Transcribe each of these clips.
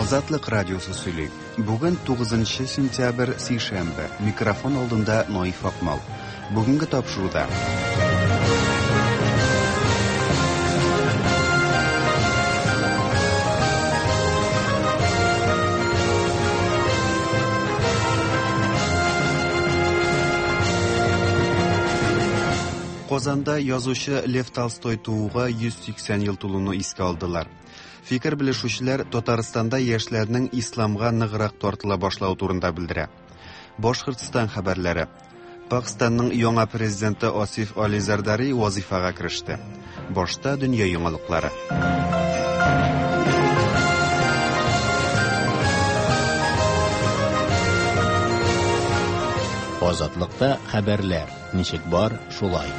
Азатлык радиосы сөйли. Бүген 9 сентябрь, сишәмбе. Микрофон алдында Наиф Акмал. Бүгенге тапшыруда. Казанда язучы Лев Толстой тууга 180 ел тулуны искә алдылар. Фикер белешүчеләр Татарстанда яшьләрнең исламга ныграк тартыла башлавы турында белдерә. Башкортстан хәбәрләре. Пакъстанның яңа президенты Асиф Али Зардари вазифага кереште. Башта дөнья яңалыклары. Азатлыкта хәбәрләр ничек бар, шулай.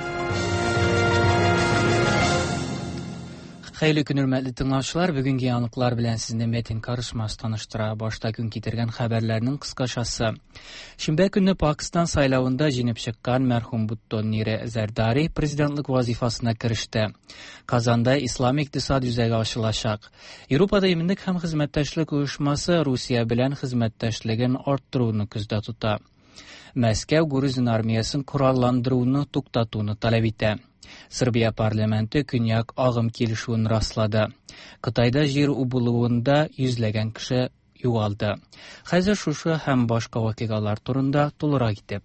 Хәерле көн, хөрмәтле тыңлаучылар. Бүгенге яңалыклар белән сезне Метин Карышмас таныштыра. Башта көн китергән хәбәрләрнең кыскачасы. Шимбә көнне Пакстан сайлавында җиңеп чыккан мәрхүм Буттон Нире Зәрдари президентлык вазифасына кереште. Казанда Ислам икътисад үзәге ачылачак. Европада иминлек һәм хезмәттәшлек оешмасы Русия белән хезмәттәшлеген арттыруны күздә тота. Мәскәү грузин армиясен коралландыруны туктатуны таләп итә. Сербия парламенты Көньяк агым килешүен раслады. Кытайда җир убылуында йөзләгән кеше югалды. Хәзер шушы һәм башка вакыйгалар турында тулырак итеп.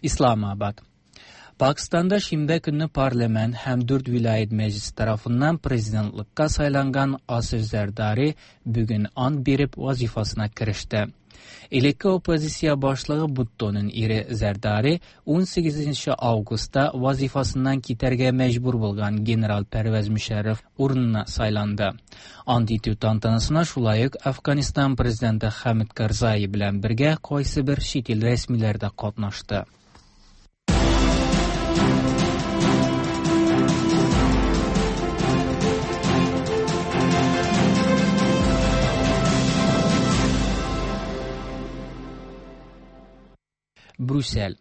Исламабад. Пакстанда шимбә көнне парламент һәм дүрт вилаят мәҗлесе тарафыннан президентлыкка сайланган Асиф Зәрдари бүген ант биреп вазифасына кереште. Элекке оппозиция башлыгы Буттоның ире Зәрдари 18 августта вазифасыннан китәргә мәҗбүр булган генерал Пәрвәз Мөшәррәф урынына сайланды. Ант итү тантанасына шулай ук Әфганистан президенты Хәмид Карзаи белән бергә кайсыбер чит ил рәсмиләре дә катнашты. Брюссель.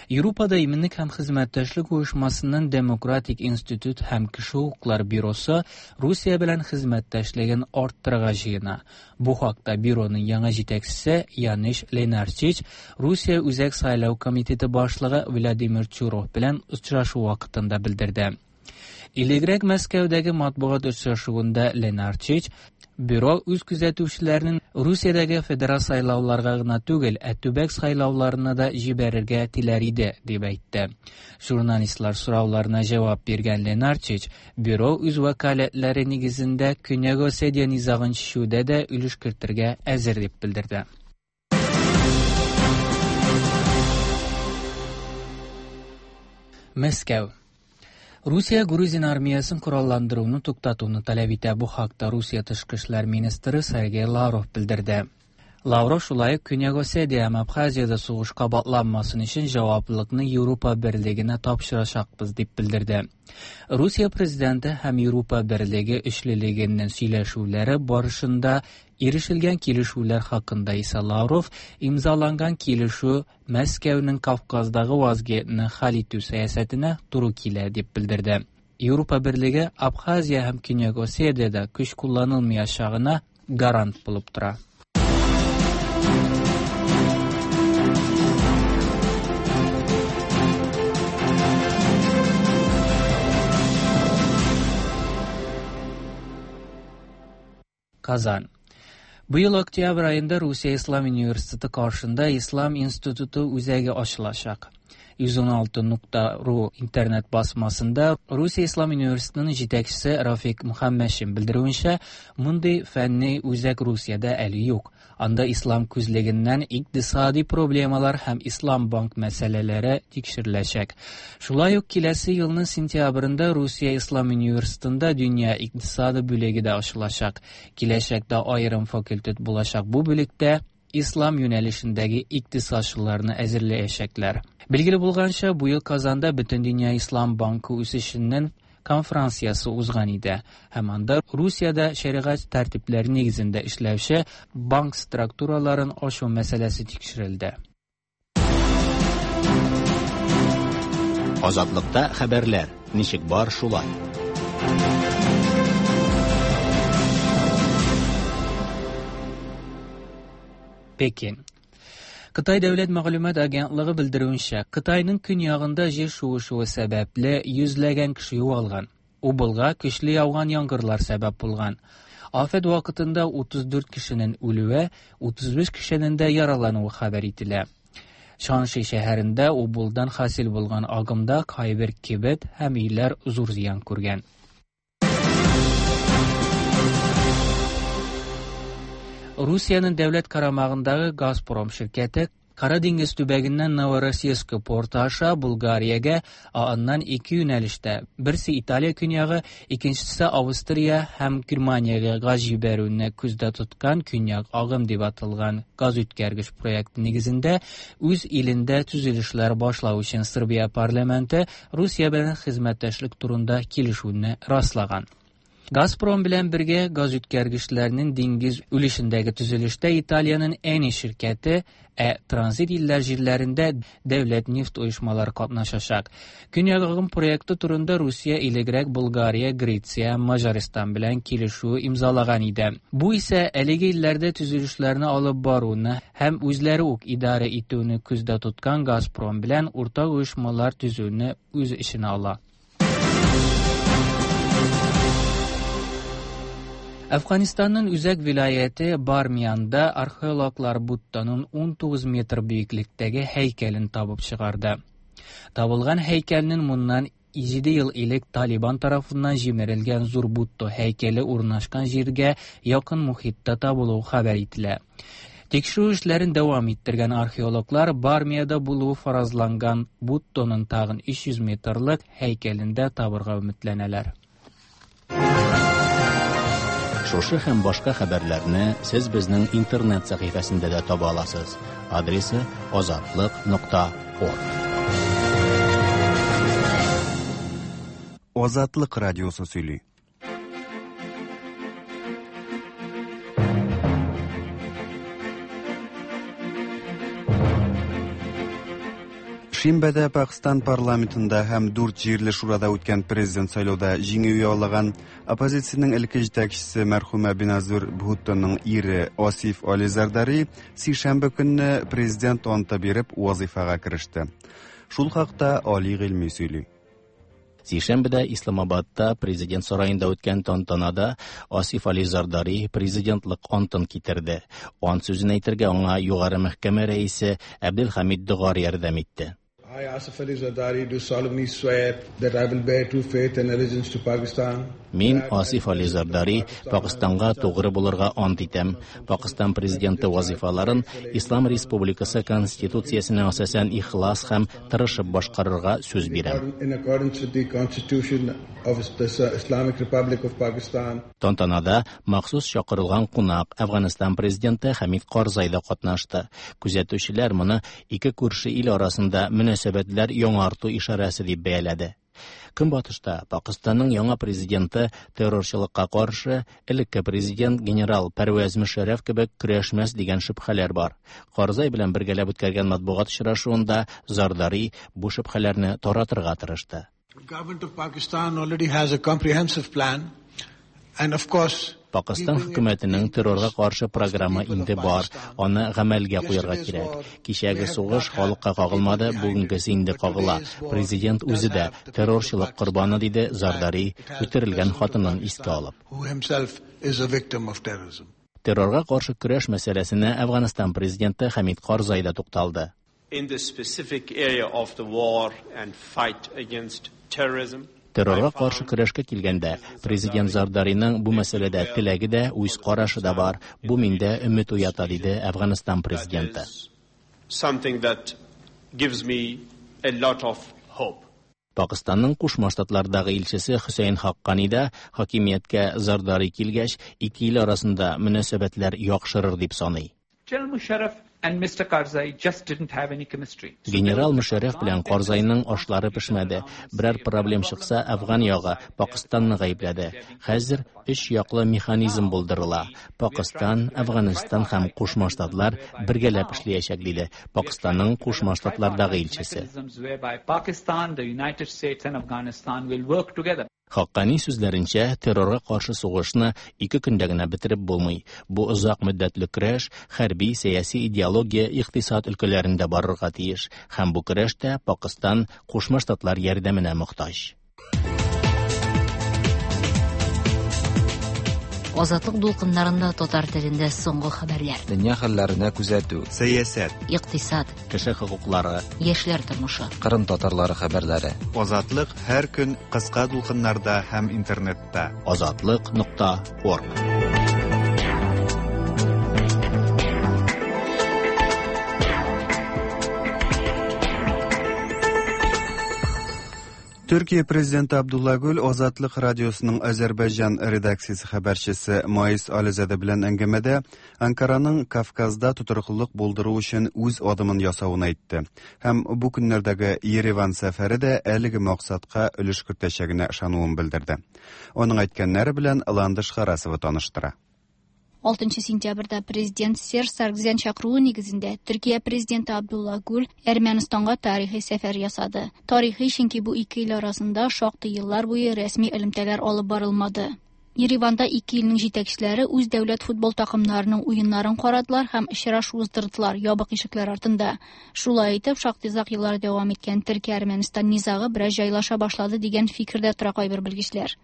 Европада иминлек һәм хезмәттәшлек оешмасының Демократик институт һәм кеше хокуклары бюросы Русия белән хезмәттәшлеген арттырырга җыена. Бу хакта бюроның яңа җитәкчесе Яниш Ленарчич Русия Үзәк сайлау комитеты башлыгы Владимир Чуров белән очрашу вакытында белдерде. Элегрәк Мәскәүдәге матбугат очрашуында Ленарчич бюро үз күзәтүчеләренең Русиядәге федераль сайлауларга гына түгел, ә төбәк сайлауларына да җибәрергә теләр иде, дип әйтте. Журналистлар сорауларына җавап биргән Ленарчич бюро үз вәкаләтләре нигезендә Көньяк Осетия низагын чишүдә дә өлеш кертергә әзер дип белдерде. Мәскәү. Русия грузин армиясен коралландыруны туктатуны таләп итә. Бу хакта Русия тышкы эшләр министры Сергей Лавров белдерде. Лавров шулай ук Көньяк Осетия һәм Абхазиядә сугыш кабатланмасын өчен җаваплылыкны Европа берлегенә тапшырачакбыз дип белдерде. Русия президенты һәм Европа берлеге өчлелегенең сөйләшүләре барышында ирешелгән килешүләр хакында исә Лавров имзаланган килешү Мәскәүнең Кавказдагы вазгыятьне хәл итү сәясәтенә туры килә дип белдерде. Европа берлеге Абхазия һәм Көньяк Осетиядә көч кулланылмаячагына гарант булып тора. Казан. Быел октябрь аенда Русия Ислам университеты каршында Ислам институты үзәге ачылачак. 116.ru интернет басмасында Русия Ислам университетының җитәкчесе Рафик Мөхәммәтшин белдерүенчә, мондый фәнни үзәк Русиядә әле юк. Анда ислам күзлегеннән икътисади проблемалар һәм ислам банк мәсьәләләре тикшереләчәк. Шулай ук киләсе елның сентябрендә Русия Ислам университетында дөнья икътисады бүлеге дә ачылачак. Киләчәктә аерым факультет булачак бу бүлектә ислам юнәлешендәге икътисадчыларны әзерләячәкләр. Билгеле булганча, бу ел Казанда Бөтендөнья Ислам банкы үсешенең конференциясе узган иде һәм анда Русиядә шәригать тәртипләре нигезендә эшләүче банк структураларын ачу мәсьәләсе тикшерелде. Азатлыкта хәбәрләр, ничек бар шулай. Пекин. Кытай дәүләт мәгълүмат агентлыгы белдерүенчә, Кытайның көньягында җир шуышуы сәбәпле йөзләгән кеше югалган. Убылга көчле яуган яңгырлар сәбәп булган. Афәт вакытында 34 кешенең үлүе, 35 кешенең дә яралануы хәбәр ителә. Шанши шәһәрендә Убылдан хасил булган агымда кайбер кибет һәм өйләр зур зыян күргән. Русиянең дәүләт карамагындагы Газпром ширкәте Кара диңгез төбәгеннән Новороссийск порты аша Булгариягә, ә аннан ике юнәлештә, берсе Италия көньягы, икенчесе Австрия һәм Германиягә газ җибәрүне күздә тоткан Көньяк агым дип аталган газ үткәргеч проекты нигезендә үз илендә төзелешләр башлау өчен Сербия парламенты Русия белән хезмәттәшлек турында килешүне раслаган. Газпром белән бергә газ үткәргечләрнең диңгез өлешендәге төзелештә Италиянең Eni ширкәте, ә транзит илләр җирләрендә дәүләт нефть оешмалары катнашачак. Көньяк агым проекты турында Русия элегрәк Булгария, Греция, Маҗаристан белән килешү имзалаган иде. Бу исә әлеге илләрдә төзелешләрне алып баруны һәм үзләре үк идарә итүне күздә тоткан Газпром белән уртак оешмалар төзүне үз эченә ала. Әфганстанның үзәк вилаяте Бармиянда археологлар Будданың 19 метр биеклектәге һәйкәлен табып чыгарды. Табылган һәйкәлнең моннан 7 ел элек Талибан тарафыннан җимерелгән зур Будда һәйкәле урнашкан җиргә якын мохитта табылуы хәбәр ителә. Тикшерү эшләрен дәвам иттергән археологлар Бармиядә булуы фаразланган Будданың тагын 300 метрлык һәйкәлен дә табырга өметләнәләр. Шушы һәм башка хәбәрләрне сез безнең интернет сәхифәсендә дә таба аласыз. Адресы azatliq.org. Азатлык радиосы сөйли. Шимбәдә Пакстан парламентында һәм дүрт җирле шурада үткән президент сайлауда җиңү яулаган оппозициянең элекке җитәкчесе мәрхүмә Беназир Бхуттоның ире Асиф Али Зардари сишәмбе көнне президент анты биреп вазифага кереште. Шул хакта Али Гыйльми сөйли. Сишәмбедә Исламабадта президент сараенда үткән тантанада Асиф Али Зардари президентлык антын китерде. Ант сүзен әйтергә аңа Югары мәхкәмә рәисе Әбделхамид Догар ярдәм итте. I, Asif Ali Zardari, do solemnly swear that I will bear true faith and allegiance to Pakistan. Мин, Асиф Али Зардари, Пакыстанга тугры булырга ант итәм. Пакыстан президенты вазифаларын Ислам Республикасы Конституциясенә асасән ихлас һәм тырышып башкарырга сүз бирәм. In accordance with the Constitution of the Islamic Republic of Pakistan. Тантанада махсус чакырылган кунак Әфганстан президенты Хәмид Карзай да катнашты. Күзәтүчеләр моны ике күрше ил арасында мөнәсәбәтләр яңарту ишарәсе дип бәяләде. Көнбатышта Пакыстанның яңа президенты террорчылыкка каршы элекке президент генерал Пәрвәз Мөшәррәф кебек көрәшмәс дигән шөбһәләр бар. Карзай белән бергәләп үткәргән матбугат очрашуында Зардари бу шөбһәләрне таратырга тырышты. The government of Pakistan already has a comprehensive plan, and of course, Пакыстан хөкүмәтенең террорга каршы програмы инде бар, аны гамәлгә куярга кирәк. Кичәге сугыш халыкка кагылмады, бүгенгесе инде кагыла. Президент үзе дә террорчылык корбаны, диде Зардари, үтерелгән хатынын искә алып. who himself is a victim of terrorism. Террорга каршы көрәш мәсьәләсенә Әфганстан президенты Хәмид Карзай да тукталды. In the specific area of the war and fight against terrorism, Террорга каршы көрәшкә килгәндә, президент Зардариның бу мәсьәләдә теләге дә, үз карашы да бар. Бу миндә өмет уята, диде Әфганстан президенты. Something that gives me a lot of hope. Пакыстанның Кушма Штатлардагы илчесе Хөсәен Хаккани да хакимияткә Зардари килгәч, ике ил арасында мөнәсәбәтләр яхшырыр дип саный. General Musharraf and Mr. Karzai just didn't have any chemistry. Генерал Мөшәррәф белән Карзайның ашлары пешмәде. Берәр проблем чыкса, Әфган ягы Пакыстанны гаепләде. Хәзер өч яклы механизм булдырыла. Пакыстан, Әфганстан һәм Кушма Штатлар бергәләп эшләячәк, диде Пакыстанның Кушма Штатлардагы илчесе. Mechanisms whereby Pakistan, the United States and Afghanistan will work together. Хаккани сүзләренчә, террорга каршы сугышны 2 көндә генә бетереп булмый. Бу озак мөддәтле көрәш хәрби, сәяси, идеология, икътисад өлкәләрендә барырга тиеш. Һәм бу көрәштә Пакыстан Кушма Штатлар ярдәменә мохтаҗ. Азатлык дулкыннарында татар телендә соңгы хәбәрләр. Дөнья хәлләренә күзәтү. Сәясәт, Икътисад, Кеше хокуклары, яшьләр тормышы. Кырым татарлары хәбәрләре. Азатлык һәр көн кыска дулкыннарда һәм интернетта. Азатлык.org. Төркия президенты Абдулла Гүл Азатлык радиосының Азәрбайҗан редакциясе хәбәрчесе Маис Ализаде белән әңгәмәдә Анкараның Кавказда тотрыклылык булдыру өчен үз адымын ясавын әйтте. Һәм бу көннәрдәге Ереван сәфәре дә әлеге максатка өлеш кертәчәгенә ышануын белдерде. Аның әйткәннәре белән Ландыш Харасова таныштыра. 6 сентябрьдә президент Серж Саргсян чакыруы нигезендә Төркия президенты Абдулла Гүл Әрмәнстанга тарихи сәфәр ясады. Тарихи, чөнки бу ике ил арасында шактый еллар буе рәсми элемтәләр алып барылмады. Ереванда ике илнең җитәкчеләре үз дәүләт футбол такымнарының уеннарын карадылар һәм очрашу уздырдылар ябык ишекләр артында. Шулай итеп, шактый озак еллар дәвам иткән Төркия-Әрмәнстан низагы бераз җайлаша башлады дигән фикердә тора кайбер белгечләр.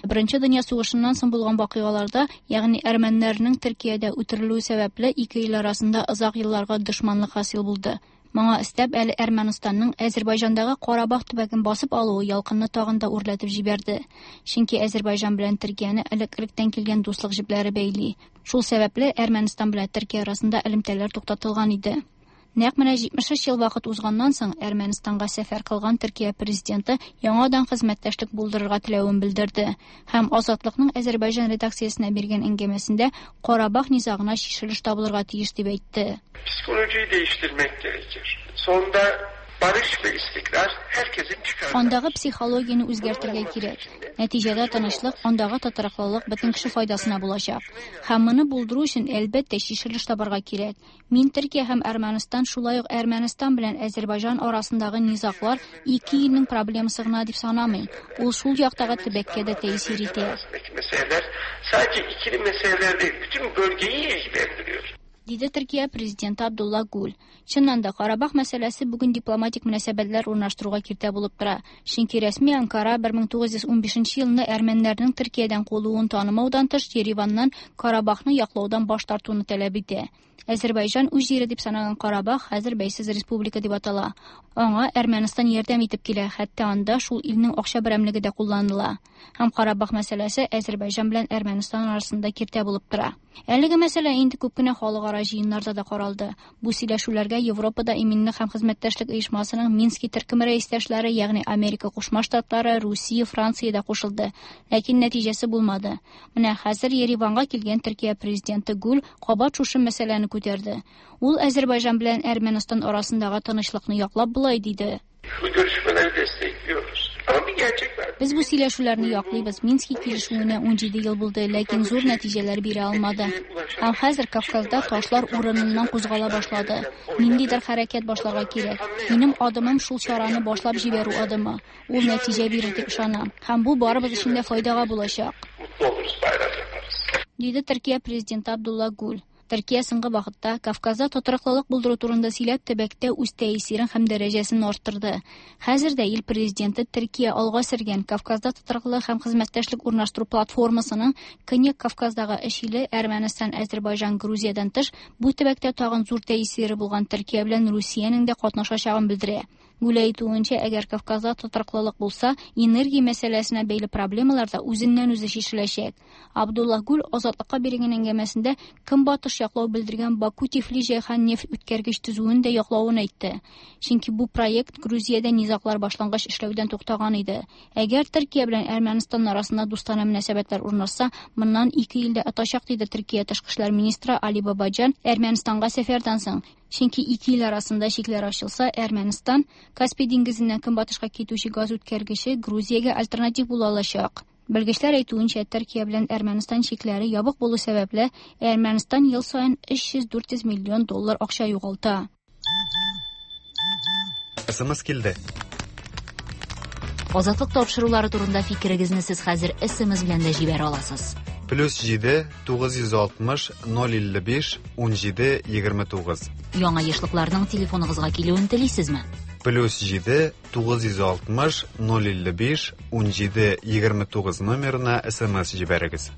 Беренче дөнья сугышыннан соң булган вакыйгаларда, ягъни әрмәннәрнең Төркиядә үтерелүе сәбәпле ике ил арасында озак елларга дошманлык хасил булды. Моңа өстәп әле Әрмәнстанның Азәрбайҗандагы Карабах төбәген басып алуы ялкынны тагын да үрләтеп җибәрде. Чөнки Азәрбайҗан белән Төркияне элек-электән килгән дуслык җепләре бәйли. Шул сәбәпле Әрмәнстан белән Төркия арасында элемтәләр туктатылган иде. Нәкъ менә 73 ел вакыт узганнан соң Әрмәнстанга сәфәр кылган Төркия президенты яңадан хезмәттәшлек булдырырга теләвен белдерде һәм Азатлыкның Азәрбайҗан редакциясенә биргән әңгәмәсендә Карабах низагына чишелеш табылырга тиеш дип әйтте. Psikolojiyi değiştirmek gerekir. Sonunda barış ve istikrar herkesin çıkarı. Андагы психологияне үзгәртергә кирәк. Нәтиҗәдә тынычлык, андагы тотрыклылык бөтен кеше файдасына булачак. Һәм моны булдыру өчен әлбәттә чишелеш табарга кирәк. Мин Төркия һәм Әрмәнстан, шулай ук Әрмәнстан белән Азәрбайҗан арасындагы низаглар ике илнең проблемасы гына дип санамыйм. Ул шул яктагы төбәккә дә тәэсир итә. Meseleler sadece ikili meseleler değil, bütün bölgeyi ilgilendiriyor. Диде Төркия президенты Абдулла Гүл. Чыннан да Карабах мәсьәләсе бүген дипломатик мөнәсәбәтләр урнаштыруга киртә булып тора. Чөнки рәсми Анкара 1915 елны әрмәннәрнең Төркиядән куылуын танымаудан тыш Ереваннан Карабахны яклаудан баш тартуны таләп итә. Азәрбайҗан үз җире дип саналган Карабах хәзер бәйсез республика дип атала. Аңа Әрмәнстан ярдәм итеп килә, хәтта анда шул илнең акча берәмлеге дә кулланыла. Һәм Карабах мәсьәләсе Азәрбайҗан белән Әрмәнстан арасында киртә булып тора. Әлеге мәсьәлә инде күп кенә халыкара җыеннарда да каралды. Бу сөйләшүләргә Европада иминлек һәм хезмәттәшлек оешмасының Мински төркеме рәистәшләре, ягъни Америка Кушма Штатлары, Русия, Франция да кушылды. Ләкин нәтиҗәсе булмады. Менә хәзер Ереванга килгән Төркия президенты Гүл кабат шушы мәсьәләне күтәрде. Ул Азәрбайҗан белән Әрмәнстан арасындагы тынычлыкны яклап болай диде. Bu görüşmeleri destekliyoruz. Ama bir gerçek var. Без бу сөйләшүләрне яклыйбыз. Мински килешүенә 17 ел булды, ләкин зур нәтиҗәләр бирә алмады. Һәм хәзер Кавказда ташлар урыныннан кузгала башлады. Ниндидер хәрәкәт башларга кирәк. Минем адымым шул чараны башлап җибәрү адымы. Ул нәтиҗә бирер дип ышанам. Һәм бу барыбыз өчен дә файдага булачак. Mutlu oluruz, bayram yaparız. Диде Төркия президенты Абдулла Гүл. Төркия соңгы вакытта Кавказда тотрыклылык булдыру турында сөйләп төбәктә үз тәэсирен һәм дәрәҗәсен арттырды. Хәзер дә ил президенты Төркия алга сөргән Кавказда тотрыклылык һәм хезмәттәшлек урнаштыру платформасының Көньяк Кавказдагы өч иле Әрмәнстан, Азәрбайҗан, Грузиядән тыш бу төбәктә тагын зур тәэсире булган Төркия белән Русиянең дә катнашачагын белдерә. Гүл әйтүенчә, әгәр Кавказда тотрыклылык булса, энергия мәсьәләсенә бәйле проблемалар да үзеннән-үзе чишеләчәк. Абдулла Гүл Азатлыкка биргән әңгәмәсендә Көнбатыш яклау белдергән Баку-Тифлис-Җәйхан нефть үткәргеч төзүен дә яклавын әйтте. Чөнки бу проект Грузиядә низаглар башлангач эшләүдән туктаган иде. Әгәр Төркия белән Әрмәнстан арасында дустана мөнәсәбәтләр урнашса, моннан 2 ел дә отачак, диде Төркия тышкы эшләр министры Али Бабаджан Әрмәнстанга сәфәрдән соң. Чөнки ике ил арасында чикләр ачылса, Әрмәнстан Каспий диңгезеннән көнбатышка китүче газ үткәргече Грузиягә альтернатив була алачак. Белгечләр әйтүенчә, Төркия белән Әрмәнстан чикләре ябык булу сәбәпле, Әрмәнстан ел саен 300-400 миллион доллар акча югалта. СМС килде. Азатлык тапшырулары турында фикерегезне сез хәзер СМС белән дә җибәрә аласыз. Плюс 7 960 055 17 29. Яңа ешлыкларның телефоныгызга килүен телисезме? Плюс 7 960 055 17 29 номерына СМС җибәрегез.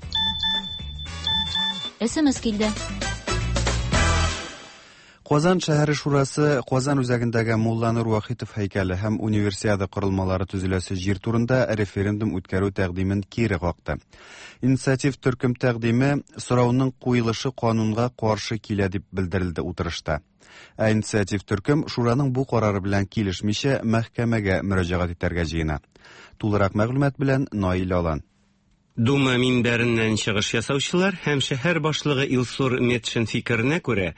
СМС килде. Казан шәһәре шурасы Казан үзәгендәге Мулланур Вахитов һәйкәле һәм универсиада корылмалары төзеләсе җир турында референдум үткәрү тәкъдимен кире какты. Инициатив төркем тәкъдиме сорауның куелышы канунга каршы килә дип белдерелде утырышта. Ә инициатив төркем шураның бу карары белән килешмичә мәхкәмәгә мөрәҗәгать итәргә җыена. Тулырак мәгълүмат белән Наил Алан. Дума минбәреннән чыгыш ясаучылар һәм шәһәр башлыгы Илсур Метшин фикеренә күрә,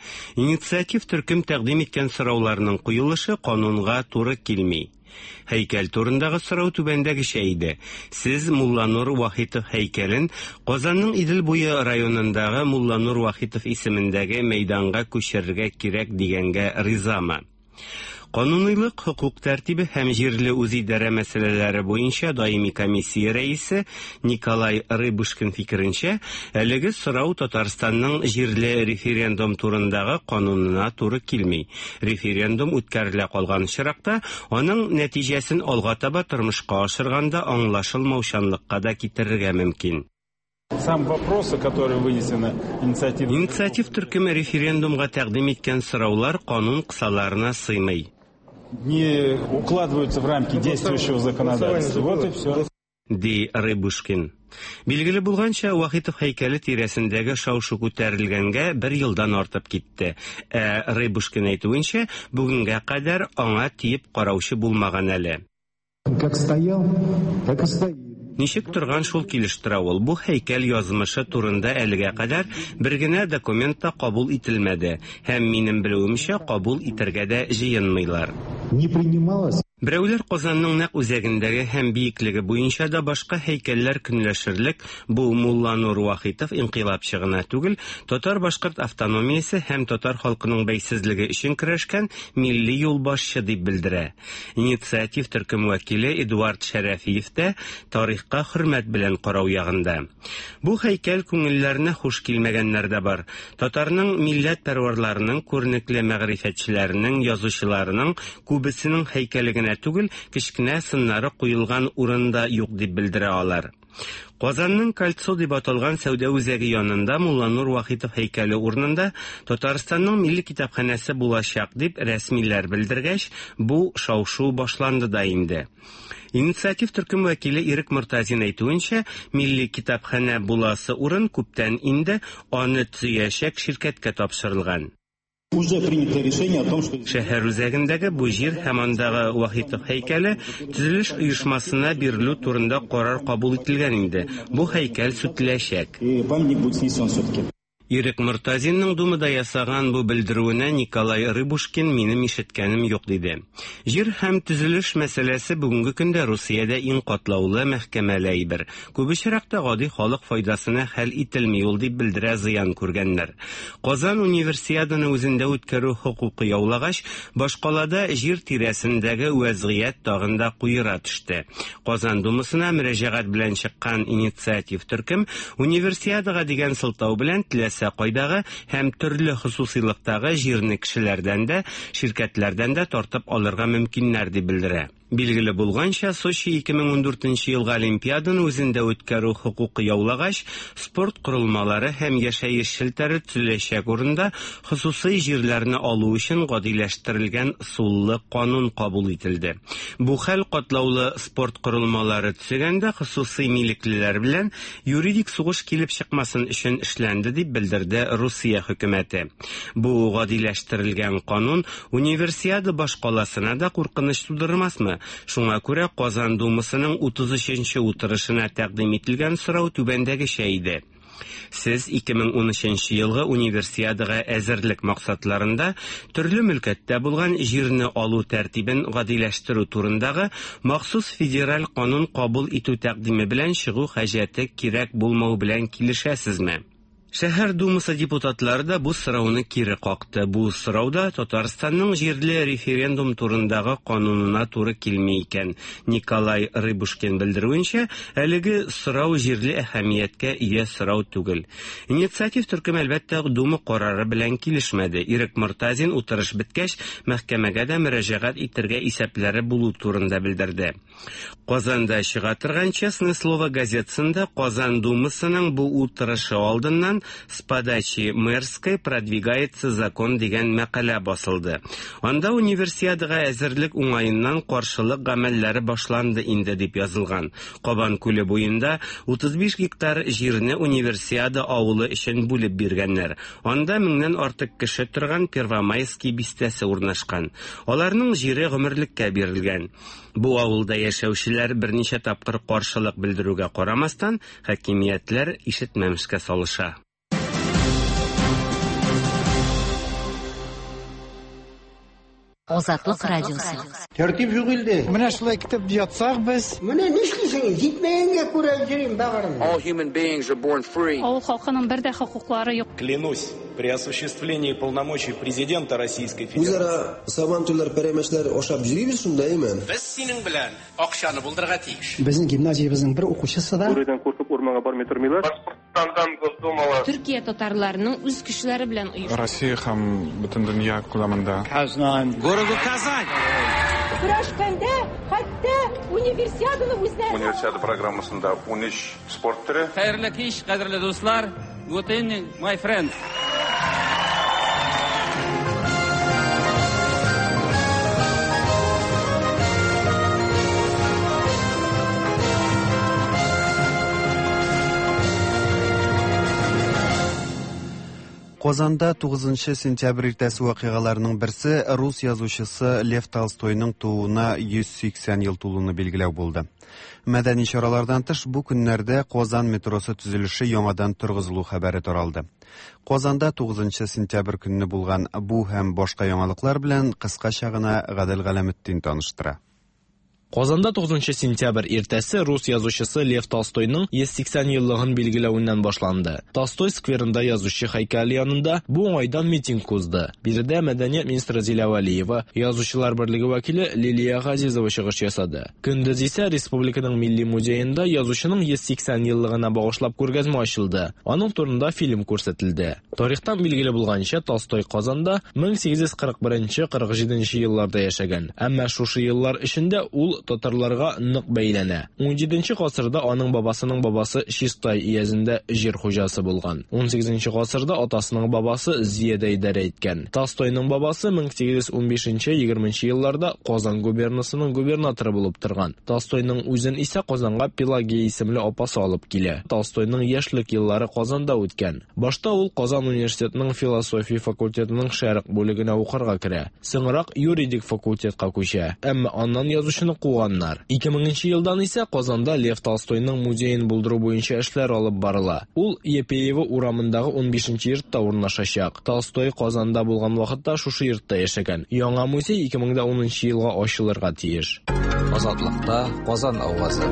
инициатив төркем тәкъдим иткән сорауларның куелышы канунга туры килми. Һәйкәл турындагы сорау түбәндәгечә иде. Сез Мулланур Вахитов һәйкәлен Казанның Идел буе районындагы Мулланур Вахитов исемендәге мәйданга күчерергә кирәк дигәнгә ризамы? Кануныйлык, хокук тәртибе һәм җирле үзидарә мәсьәләләре буенча даими комиссия рәисе Николай Рыбушкин фикеренчә, әлеге сорау Татарстанның җирле референдум турындагы канунына туры килми. Референдум үткәрелә калган очракта, аның нәтиҗәсен алга таба тормышка ашырганда аңлашылмаучанлыкка да китерергә мөмкин. Сам вопросы, которые вынесены инициатив... Инициатив төркеме референдумга тәкъдим иткән сораулар канун кысаларына сыймый. Не укладываются в рамки действующего законодательства. Вот и все. Ди Рыбушкин. Билгеле булганча, Вахитов һәйкәле тирәсендәге шау-шу күтәрелгәнгә бер елдан артып китте. Ә Рыбушкин әйтүенчә, бүгенгә кадәр аңа тиеп караучы булмаган әле. Как стоял, так и стоит. Ничек торган шул килеш тора ул. Бу һәйкәл язмышы турында әлегә кадәр бер генә документ та кабул ителмәде һәм минем белүемчә кабул итәргә дә җыенмыйлар. Не принималось. Берәүләр Казанның нәкъ үзәгендәге һәм биеклеге буенча да башка һәйкәлләр көнләшерлек бу Мулланур Вахитов инкыйлабчы гына түгел, татар-башкорт автономиясе һәм татар халкының бәйсезлеге өчен көрәшкән милли юлбашчы дип белдерә. Инициатив төркем вәкиле Эдуард Шәрәфиев тә тарихка хөрмәт белән карау ягында. Бу һәйкәл күңелләренә хуш килмәгәннәр дә бар. Татарның милләт пәрварларының, күренекле мәгърифәтчеләренең, язучыларының күбесенең һәйкәле генә түгел, кечкенә сыннары куелган урын да юк дип белдерә алар. Казанның Кольцо дип аталган сәүдә үзәге янында Мулланур Вахитов һәйкәле урынында Татарстанның милли китапханәсе булачак дип рәсмиләр белдергәч, бу шау-шу башланды да инде. Инициатив төркем вәкиле Ирек Мортазин әйтүенчә, милли китапханә буласы урын күптән инде аны төзәячәк ширкәткә тапшырылган. Уже принято решение о том, что... Шәһәр үзәгендәге бу җир һәм андагы Вахитов һәйкәле төзелеш оешмасына бирелү турында карар кабул ителгән инде. Бу һәйкәл сүтеләчәк. И памятник будет снесен все-таки. Ирек Мортазинның Думада ясаган бу белдерүенә Николай Рыбушкин минем ишеткәнем юк диде. Җир һәм төзелеш мәсьәләсе бүгенге көндә Русиядә иң катлаулы мәхкәмәле әйбер. Күп очракта гади халык файдасына хәл ителми ул дип белдерә зыян күргәннәр. Казан универсиаданы үзендә үткәрү хокукы яулагач, башкалада җир тирәсендәге вәзгыять тагын да куера төште. Казан Думасына мөрәҗәгать белән чыккан инициатив төркем универсиадага дигән сылтау белән теләсә кайдагы һәм төрле хосусыйлыктагы җирне кешеләрдән дә, ширкәтләрдән дә тартып алырга мөмкиннәр дип белдерә. Билгеле булганча, Сочи 2014 елгы Олимпиаданы үзендә үткәрү хокукы яулагач, спорт корылмалары һәм яшәеш челтәре төзеләчәк урында хосусый җирләрне алу өчен гадиләштерелгән суллы канун кабул ителде. Бу хәл катлаулы спорт корылмалары төзегәндә хосусый милеклеләр белән юридик сугыш килеп чыкмасын өчен эшләнде дип белдерде Русия хөкүмәте. Бу гадиләштерелгән канун универсиада башкаласына да куркыныч тудырмасмы? Шуңа күрә Казан Думасының 33-нче утырышына тәкъдим ителгән сорау түбәндәгечә иде. Сез 2013 елгы Универсиадага әзерлек максатларында төрле мөлкәттә булган җирне алу тәртибен гадиләштерү турындагы махсус федераль канун кабул итү тәкъдиме белән чыгу хаҗәте кирәк булмау белән килешәсезме? Шәһәр думасы депутатлары да бу сорауны кире какты. Бу сорау да Татарстанның җирле референдум турындагы канунына туры килми икән. Николай Рыбушкин белдерүенчә, әлеге сорау җирле әһәмияткә ия сорау түгел. Инициатив төркем, әлбәттә, Дума карары белән килешмәде. Ирек Мортазин утырыш беткәч, мәхкәмәгә дә мөрәҗәгать итәргә исәпләре булу турында белдерде. Казанда чыга торган Честное слово газетасында Казан Думасының бу утырышы алдыннан «С подачи мэрской продвигается закон» дигән мәкалә басылды. Анда универсиадага әзерлек уңаеннан каршылык гамәлләре башланды инде дип язылган. Кабан күле буенда 35 гектар җирне универсиада авылы өчен бүлеп биргәннәр. Анда меңнән артык кеше торган Первомайский бистәсе урнашкан. Аларның җире гомерлеккә бирелгән. Бу авылда яшәүчеләр берничә тапкыр каршылык белдерүгә карамастан, хакимиятләр ишетмәмешкә салыша. Азатлык радиосы. Тәртип юк илдә. Менә шулай китеп ятсак без. Менә нишлисең? Җитмәгәнгә күрә йөрим бәгырем. All human beings are born free. Авыл халкының бер дә хокуклары юк. Клянусь при осуществлении полномочий президента Российской Федерации. Үзара сабантуйлар, пәрәмәчләр ашап йөрибез шунда, әйме? Без синең белән акчаны булдырырга тиеш. Безнең гимназиябезнең бер укучысы да Бүредән куркып урманга бармый тормыйлар. Башкортстандан Госдумала. Төркия татарларының үз көчләре белән оештырган. Россия һәм бөтен дөнья күләмендә. Казань. Городу Казань. Көрәшкәндә хәтта универсиаданы үзләре. Универсиада программасында 13 спорт төре. Хәерле кич, кадерле дуслар. Good evening, my friends. Казанда 9 сентябрь иртәсе вакыйгаларының берсе рус язучысы Лев Толстойның тууына 180 ел тулуны билгеләү булды. Мәдәни чаралардан тыш бу көннәрдә Казан метросы төзелеше яңадан торгызылу хәбәре таралды. Казанда 9 сентябрь көнне булган бу һәм башка яңалыклар белән кыскача гына Гадел Галәметдин таныштыра. Казанда 9 сентябрь иртәсе рус язучысы Лев Толстойның 180 еллыгын билгеләвеннән башланды. Толстой скверында язучы һәйкәле янында бу уңайдан митинг узды. Биредә мәдәният министры Зилә Вәлиева, Язучылар берлеге вәкиле Лилия Газизова чыгыш ясады. Көндез исә республиканың милли музеенда язучының 180 еллыгына багышлап күргәзмә ачылды. Аның турында фильм күрсәтелде. Тарихтан билгеле булганча, Толстой Казанда 1841-47 елларда яшәгән. Әмма шушы еллар эчендә ул татарларга нык бәйләнә. 17 гасырда аның бабасының бабасы Чистай өязендә җир хуҗасы булган. 18 гасырда атасының бабасы Зиядә идарә иткән. Толстойның бабасы 1815-20 елларда Казан губернасының губернаторы булып торган. Толстойның үзен исә Казанга Пелагея исемле апасы алып килә. Толстойның яшьлек еллары Казанда үткән. Башта ул Казан университетының философия факультетының шәрык бүлегенә укырга керә. Соңрак юридик факультетка күчә. Әмма аннан язучыны куганнар. 2000 елдан исә Казанда Лев Толстойның музеен булдыру буенча эшләр алып барыла. Ул Епеево урамындагы 15 йортта урнашачак. Толстой Казанда булган вакытта шушы йортта яшәгән. Яңа музей 2010 елга ачылырга тиеш. Азатлыкта Казан авазы.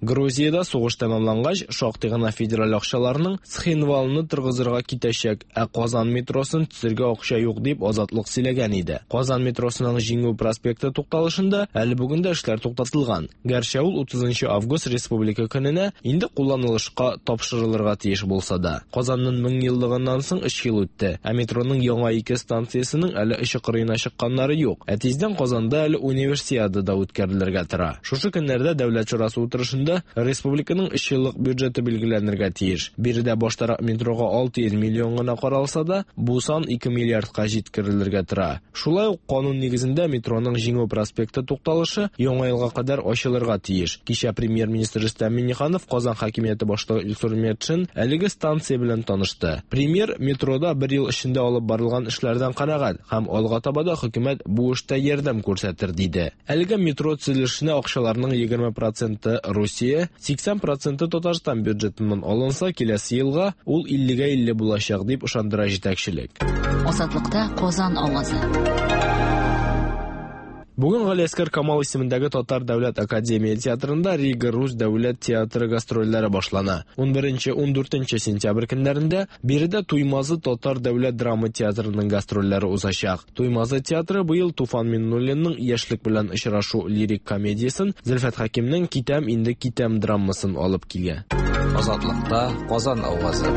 Грузиядә сугыш тәмамлангач, шактый гына федераль акчаларның Цхинвалны торгызырга китәчәк, ә Казан метросын төзергә акча юк дип Азатлык сөйләгән иде. Казан метросының Җиңү проспекты тукталышында әле бүген дә эшләр туктатылган. Гәрчә ул 30 август Республика көненә инде кулланылышка тапшырылырга тиеш булса да. Казанның 1000 еллыгыннан соң 3 ел үтте, ә метроның яңа ике станциясенең әле очы кырыена чыкканнары юк. Ә тиздән Казанда әле универсиада да үткәрелергә тора. Шушы көннәрдә Дәүләт шурасы утырышында республиканың 3 еллык бюджеты билгеләнергә тиеш. Биредә баштарак метрога 600 миллион гына каралса да, бу сан 2 миллиардка җиткерелергә тора. Шулай ук канун нигезендә метроның Җиңү проспекты тукталышы яңа елга кадәр ачылырга тиеш. Кичә премьер-министр Рөстәм Миңнеханов Казан хакимияте башлыгы Илсур Метшин әлеге станция белән танышты. Премьер метрода бер ел эчендә алып барылган эшләрдән канәгать һәм алга таба да хөкүмәт бу эштә ярдәм күрсәтер диде. Әлеге метро төзелешенә акчаларның 20% Русия Русия, 80 проценты Татарстан бюджетыннан алынса, киләсе елга ул 50-гә 50 булачак, дип ышандыра җитәкчелек. Азатлыкта Казан авазы. Бүген Галиәсгар Камал исемендәге Татар дәүләт академия театрында Рига рус дәүләт театры гастрольләре башлана. 11-14 сентябрь көннәрендә биредә Туймазы татар дәүләт драма театрының гастрольләре узачак. Туймазы театры быел Туфан Миңнуллинның Яшьлек белән очрашу лирик комедиясен, Зөлфәт Хәкимнең Китәм инде китәм драмасын алып килә. Азатлыкта Казан авазы.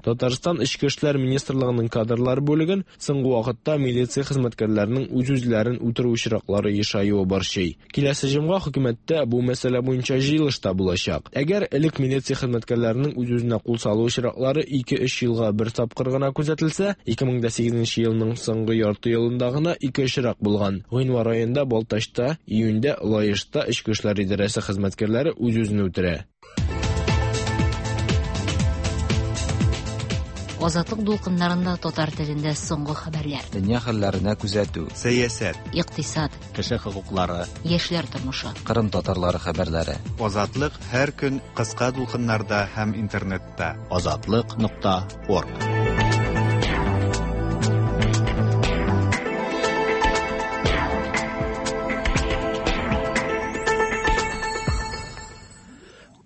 Татарстан Эчке эшләр министрлыгының кадрлар бүлеген соңгы вакытта милиция хезмәткәрләренең үз-үзләрен үтерү очраклары ешаюы борчый. Киләсе җомга хөкүмәттә бу мәсьәлә буенча җыелыш та булачак. Әгәр элек милиция хезмәткәрләренең үз-үзенә кул салу очраклары 2-3 елга бер тапкыр гына күзәтелсә, 2008 елның соңгы ярты елында гына ике очрак булган. Гыйнвар аенда Балтачта, июньдә Лаешта Эчке эшләр идарәсе хезмәткәрләре үз-үзен үтерә. Азатлык дулкыннарында татар телендә соңгы хәбәрләр. Дөнья хәлләренә күзәтү. Сәясәт. Икътисад. Кеше хокуклары. Яшьләр тормышы. Кырым татарлары хәбәрләре. Азатлык һәр көн кыска дулкыннарда һәм интернетта. Азатлык.орг.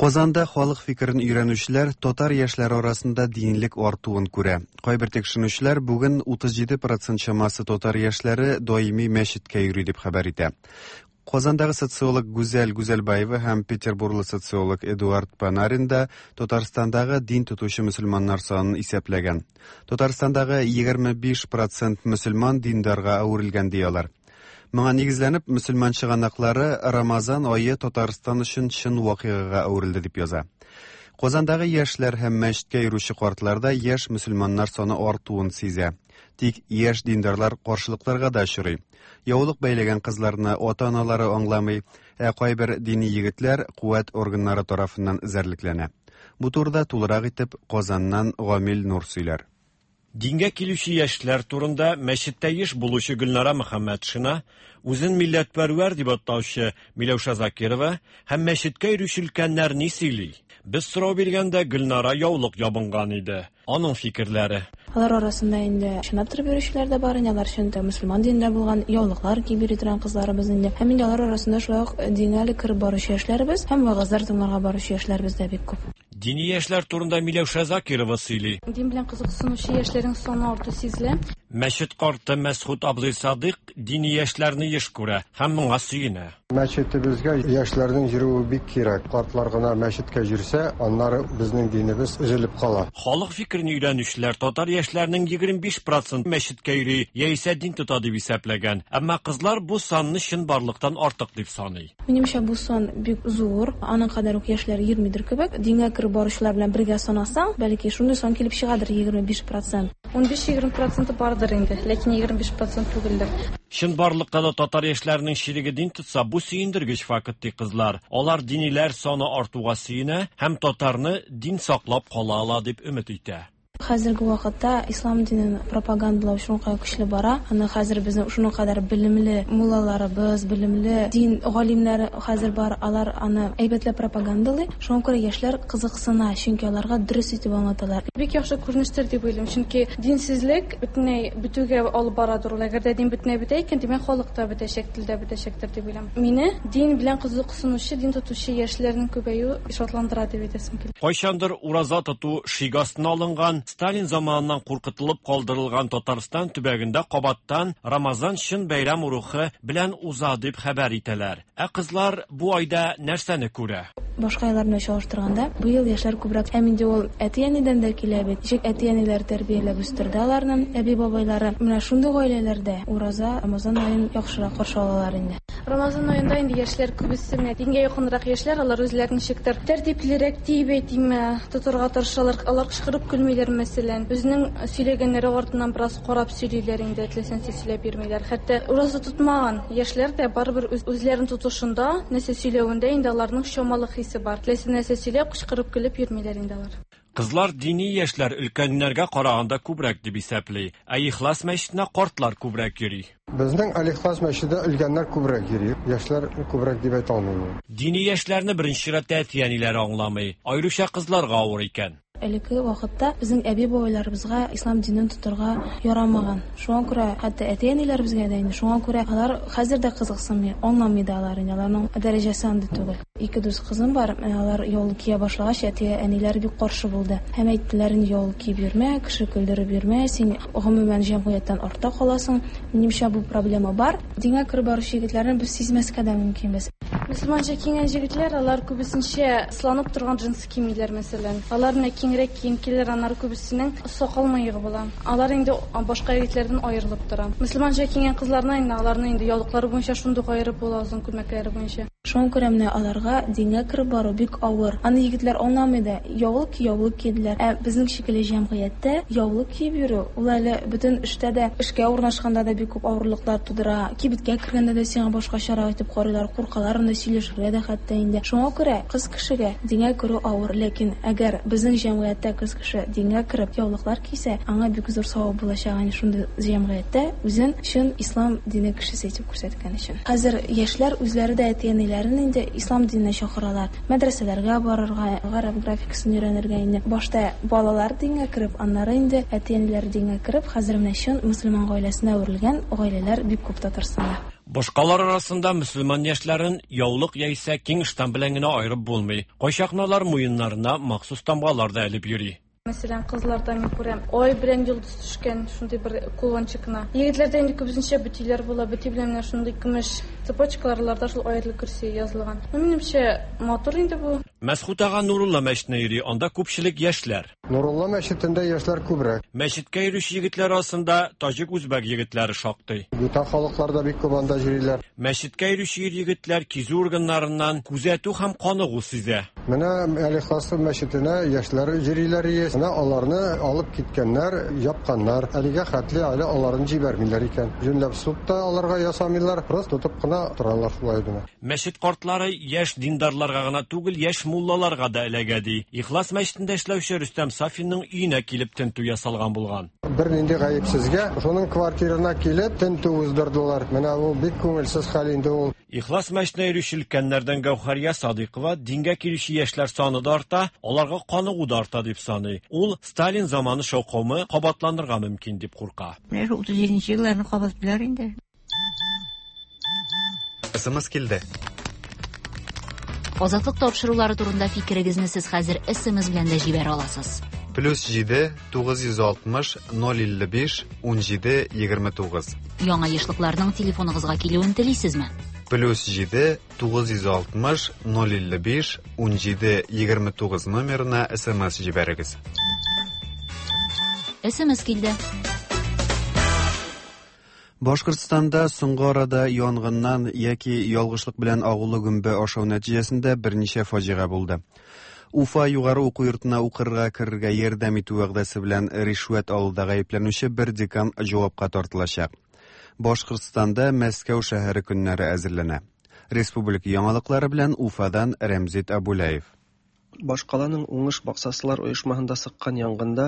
Казанда халык фикерен өйрәнүчеләр татар яшьләре арасында динлек артуын күрә. Кайбер тикшеренүчеләр бүген 37% чамасы татар яшьләре даими мәчеткә йөри дип хәбәр итә. Казандагы социолог Гүзәл Гүзәлбаева һәм Петербурлы социолог Эдуард Панарин да Татарстандагы дин тотучы мөселманнар санын исәпләгән. Татарстандагы 25% мөселман диндарга әверелгән ди алар. Моңа нигезләнеп, мөселман чыганаклары Рамазан ае Татарстан өчен чын вакыйгага әверелде дип яза. Казандагы яшьләр һәм мәчеткә йөрүче картларда яшь мөселманнар саны артуын сизә. Тик яшь диндарлар каршылыкларга да очрый. Яулык бәйләгән кызларны ата-аналары аңламый, ә кайбер дини егетләр куәт органнары тарафыннан эзәрлекләнә. Бу турыда тулырак итеп Казаннан Гамил Нур сөйләр. Дингә килүче яшьләр турында мәчеттә еш булучы Гөлнара Мөхәммәтшина, үзен милләтпәрвәр дип атаучы Миләүшә Закирова һәм мәчеткә йөрүче өлкәннәр ни сөйли? Без сорау биргәндә Гөлнара яулык ябынган иде. Аның фикерләре. Алар арасында инде чынлап торып йөрүчеләр дә бар, инде алар чын мөселман динендә булган яулыклар киеп йөри торган кызларыбыз инде. Һәм инде алар арасында шулай ук дингә әле кереп баручы яшьләребез һәм вәгазьләр тыңларга баручы яшьләребез дә бик күп. Дини яшьләр турында Миләүшә Закирова сөйли. Дин белән кызыксынучы яшьләрнең саны арту сизелә. Мәчет карты Мәсхүт абзый Садыйк дини яшьләрне еш күрә һәм моңа сөенә. Мәчетебезгә яшьләрнең йөрүе бик кирәк. Картлар гына мәчеткә йөрсә, аннары безнең динебез өзелеп кала. Халык фикерен өйрәнүчеләр татар яшьләренең 25% мәчеткә йөри яисә дин тота дип исәпләгән. Әмма кызлар бу санны чынбарлыктан артык дип саный. Минемчә, бу сан бик зур. Аның кадәр үк яшьләр йөрмидер кебек. Дингә кереп баручылар белән бергә санасаң, бәлки шундый сан килеп чыгадыр 25%. 15-20% бардыр инде, ләкин 25% түгелдер. Чынбарлыкта да татар яшьләренең чиреге дин тотса, бу сөендергеч факт ди кызлар. Алар диниләр саны артуга сөенә һәм татарны дин саклап кала ала дип өмет итә. Хәзерге вакытта ислам динен пропагандалау шуңа көчле бара. Аны хәзер безнең шуның кадәр белемле муллаларыбыз, белемле дин галимнәре хәзер бар, алар аны әйбәтләп пропагандалый. Шуңа күрә яшьләр кызыксына, чөнки аларга дөрес итеп аңлаталар. Бик яхшы күренештер дип уйлыйм, чөнки динсезлек бөтенләй бетүгә алып барадыр ул. Әгәр дә дин бөтенләй бетә икән, димәк халык та бетәчәк, тел дә бетәчәктер дип уйлыйм. Мине дин белән кызыксынучы, дин тотучы яшьләрнең күбәюе шатландыра дип әйтәсем килә. Кайчандыр ураза тоту шик астына алынган, Сталин заманыннан куркытылып калдырылган Татарстан төбәгендә кабаттан Рамазан чын бәйрәм рухы белән уза дип хәбәр итәләр. Ә кызлар бу айда нәрсәне күрә? Башка айлар белән чагыштырганда, быел яшьләр күбрәк. Һәм инде ул әти-әнидән дә килә бит. Ничек әти-әниләр тәрбияләп үстерде аларны, әби-бабайлары. Менә шундый гаиләләрдә ураза, Рамазан аен яхшырак каршы алалар инде. Рамазан аенда инде яшьләр күбесе менә дингә якынрак яшьләр, алар үзләрен ничектер тәртиплерәк дип әйтимме, тотарга тырышалар. Алар кычкырып көлмиләр, мәсәлән. Үзенең сөйләгәннәре артыннан бераз карап сөйлиләр инде, теләсә сөйләп йөрмиләр. Хәтта ураза тотмаган яшьләр дә барыбер үзләрен тотышында, нәрсә сөйләвендә инде аларның чамалы хисе бар. Теләсә нәрсә сөйләп, кычкырып көлеп йөрмиләр инде алар. Кызлар дини яшьләр өлкәннәргә караганда күбрәк дип исәпли. Ә Ихлас мәчетенә картлар күбрәк йөри. Безнең Әл-Ихлас мәчетенә өлкәннәр күбрәк йөри, яшьләр күбрәк дип әйтә алмыйм. Дини яшьләрне беренче чиратта әти-әниләре аңламый. Аеруча кызларга авыр икән. Элекке вакытта безнең әби-бабайларыбызга ислам динен тотарга ярамаган. Шуңа күрә хәтта әти-әниләребезгә дә инде, шуңа күрә алар хәзер дә кызыксынмый, аңламый да алар инде, аларның дәрәҗәсе андый түгел. Ике дус кызым бар, менә алар яулык кия башлагач, әти-әниләре бик каршы булды. Һәм әйттеләр инде, яулык киеп йөрмә, кеше көлдереп йөрмә, син гомумән җәмгыятьтән артта каласың. Минемчә, бу проблема бар. Дингә кереп баручы егетләрне без сизмәскә дә мөмкинбез. Мөселманча киенгән җегетләр, алар күбесенчә сыланып торган джинсы кимиләр, мәсәлән. Алар менә киңрәк кием киләләр, аннары күбесенең сакал-мыегы була. Алар инде башка егетләрдән аерылып тора. Мөселманча киенгән кызларны инде аларны инде яулыклары буенча шундук аерып була, озын күлмәкләре буенча. Шуңа күрә менә аларга дингә кереп бару бик авыр. Аны егетләр аңламый да. Яулык ки, яулык киделәр. Ә безнең шикелле җәмгыятьтә яулык киеп йөрү, ул әле бөтен эштә дә, эшкә урнашканда да бик күп авырлыклар тудыра. Кибеткә кергәндә дә сиңа башкачарак итеп карыйлар, куркалар анда сөйләшергә дә хәтта инде. Шуңа күрә кыз кешегә дингә керү авыр. Ләкин әгәр безнең җәмгыятьтә кыз кеше дингә кереп яулыклар кисә, аңа бик зур савап булачак әнә шундый җәмгыятьтә үзен чын ислам дине кешесе итеп күрсәткән өчен. Хәзер яшьләр үзләре дә әти-әниләрен инде ислам диненә чакыралар. Мәдрәсәләргә барырга, гарәп графикасын өйрәнергә инде. Башта балалар дингә кереп, аннары инде әти-әниләре дингә кереп, хәзер менә чын мөселман гаиләсенә әверелгән гаиләләр бик күп Татарстанда. Башкалар арасында мөселман яшьләрен яулык яисә киң ыштан белән генә аерып булмый. Кайчакны алар муеннарына махсус тамгалар да элеп йөри. Мәсәлән, кызларда мин күрәм, ай белән йолдыз төшкән шундый бер кулончикны. Егетләрдә инде күбесенчә бөтиләр була, бөти белән менә шундый көмеш цепочкалар, аларда шул Аятел Көрси язылган. Ну, минемчә, матур инде бу. Мәсхүт ага Нурулла мәчетенә йөри, анда күпчелек яшьләр. Нурулла мәчетендә яшьләр күбрәк. Мәчеткә йөрүче егетләр арасында таҗик-үзбәк егетләре шактый. Бүтән халыклар да бик күп анда йөриләр. Мәчеткә йөрүче ир-егетләр кизү органнарыннан күзәтү һәм каныгу сизә. Менә Әл-Ихлас мәчетенә яшьләр йөриләр ие. Менә аларны алып киткәннәр, япканнар. Әлегә хәтле әле аларны җибәрмиләр икән. Җүнләп суд та аларга ясамыйлар, просто тотып кына торалар шулай гына. Мәчет картлары яшь диндарларга гына түгел, яшь муллаларга да эләгә, ди. Ихлас мәчетендә эшләүче Рөстәм Сафинның өенә килеп тентү ясалган булган. Бернинди гаепсезгә шуның квартирына килеп тентү уздырдылар. Менә бу бик күңелсез хәл инде ул. Ихлас мәчетенә йөрүче өлкәннәрдән Гәүһәрия Садыйкова дингә килүче яшьләр саны да арта, аларга каныгу да арта дип саный. Ул Сталин заманы шаукымы кабатланырга мөмкин дип курка. Менә шул 37 нче елларны кабатлыйлар инде. СМС килде. Азатлык тапшырулары турында фикерегезне сез хәзер СМС белән дә җибәрә аласыз. Плюс 7 960 055 17 29. Яңа ешлыкларның телефоныгызга килүен телисезме? Плюс 7 960 055 17 29 номерына СМС җибәрегез. СМС килде. Башкортстанда соңгы арада янгыннан яки ялгышлык белән агулы гөмбә ашау нәтиҗәсендә берничә фаҗига булды. Уфа югары уку йортына укырга керергә ярдәм итү вәгъдәсе белән ришвәт алуда гаепләнүче бер декан җавапка тартылачак. Башкортстанда Мәскәү шәһәре көннәре әзерләнә. Республика яңалыклары белән Уфадан Рәмзит Абулаев. Башкаланың Уңыш баксасылар оешмаһында сыккан янгында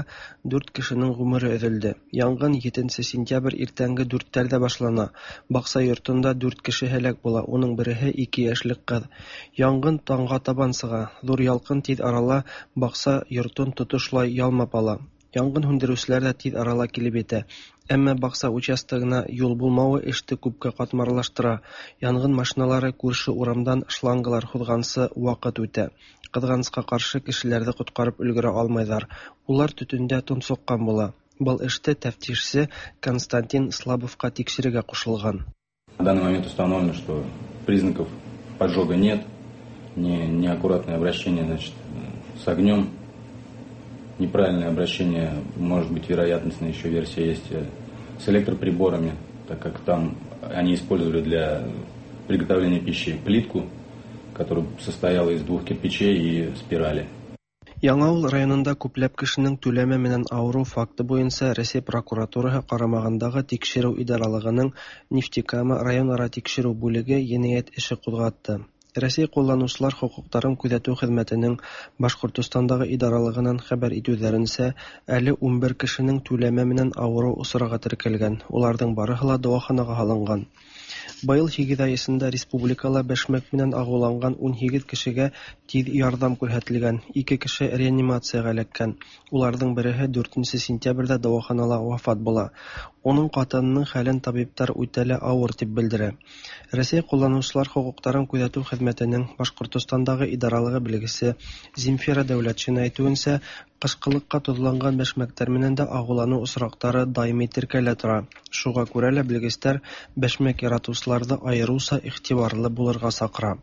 дүрт кешенең гомере өзелде. Янгын 7 сентябрь иртәнге дүртләрдә башлана. Бакса йортында дүрт кеше һәлак була, уның береһе ике яшьлек кыз. Янгын таңга табан сыга. Зур ялкын тиз арала бакса йортын тотышлай ялмап ала. Янгын һүндерүчеләр дә тиз арала килеп етә. Әмма бакса участогына юл булмавы эште күпкә катмарлаштыра. Янгын машиналары күрше урамдан шлангалар һузганчы вакыт үтә. Кызганыска каршы, кешеләрне коткарып өлгерә алмыйлар. Улар төтендә тонсыккан була. Был эште тәфтишче Константин Слабовка тикшерергә кушылган. На данный момент установлено, что признаков поджога нет, не, неаккуратное обращение значит, с огнем, неправильное обращение, может быть, вероятностная еще версия есть э, с электроприборами, так как там они использовали для приготовления пищи плитку, которая состояла из двух кирпичей и спирали. Яңавыл районында күпләп кешенең түләмә менән авыру факты буенча Рәсәй прокуратураһы карамагындагы Тикшерү идаралыгының Нефтекама районара тикшерү бүлеге енәят эше кузгатты. Рәсәй кулланучылар хокукларын күзәтү хезмәтенең Башкортостандагы идаралыгыннан хәбәр итүләренчә, әле 11 кешенең түләмә менән авыру осрагы теркәлгән. Уларның барыһы ла дәваханага һалынган. Быел 8 ай эчендә республикала бәшмәк менән агуланган 18 кешегә тиз ярдәм күрһәтелгән. 2 кеше реанимациягә эләккән. Уларның береһе 4 сентябрьдә дәваханала вафат була. Уның хатынының хәлен табиблар үтә лә авыр дип белдерә. Рәсәй кулланучылар хокукларын күзәтү хезмәтенең Башкортостандагы идаралыгы белгече Земфира Дәүләтшина әйтүенчә, кышкылыкка тозланган бәшмәкләр менән дә агулану очраклары даими теркәлә тора. Шуңа күрә лә белгечләр бәшмәк яратучыларны аеруча игътибарлы булырга чакыра.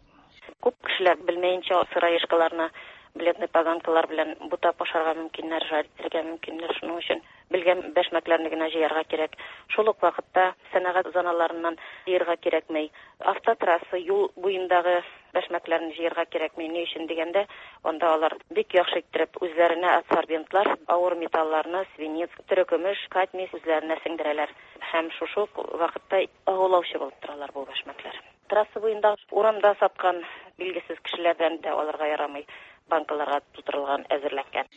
Күп кешеләр белмәенчә сыроежкаларны бледный поганкалар белән бутап ашарга мөмкиннәр, жарить итәргә мөмкиннәр. Шуның өчен белгән бәшмәкләрне генә җыярга кирәк. Шул ук вакытта сәнәгать зоналарыннан җыярга кирәкми. Автотрасса, юл буендагы бәшмәкләрне җыярга кирәкми. Ни өчен дигәндә, анда алар бик яхшы иттереп үзләренә адсорбентлар, авыр металларны, свинец, терекөмеш, кадмий үзләренә сеңдерәләр. Һәм шушы ук вакытта агулаучы булып торалар бу бәшмәкләр. Трасса буенда урамда саткан билгесез кешеләрдән дә алырга ярамый, банкаларга тутырылган, әзерләнгән.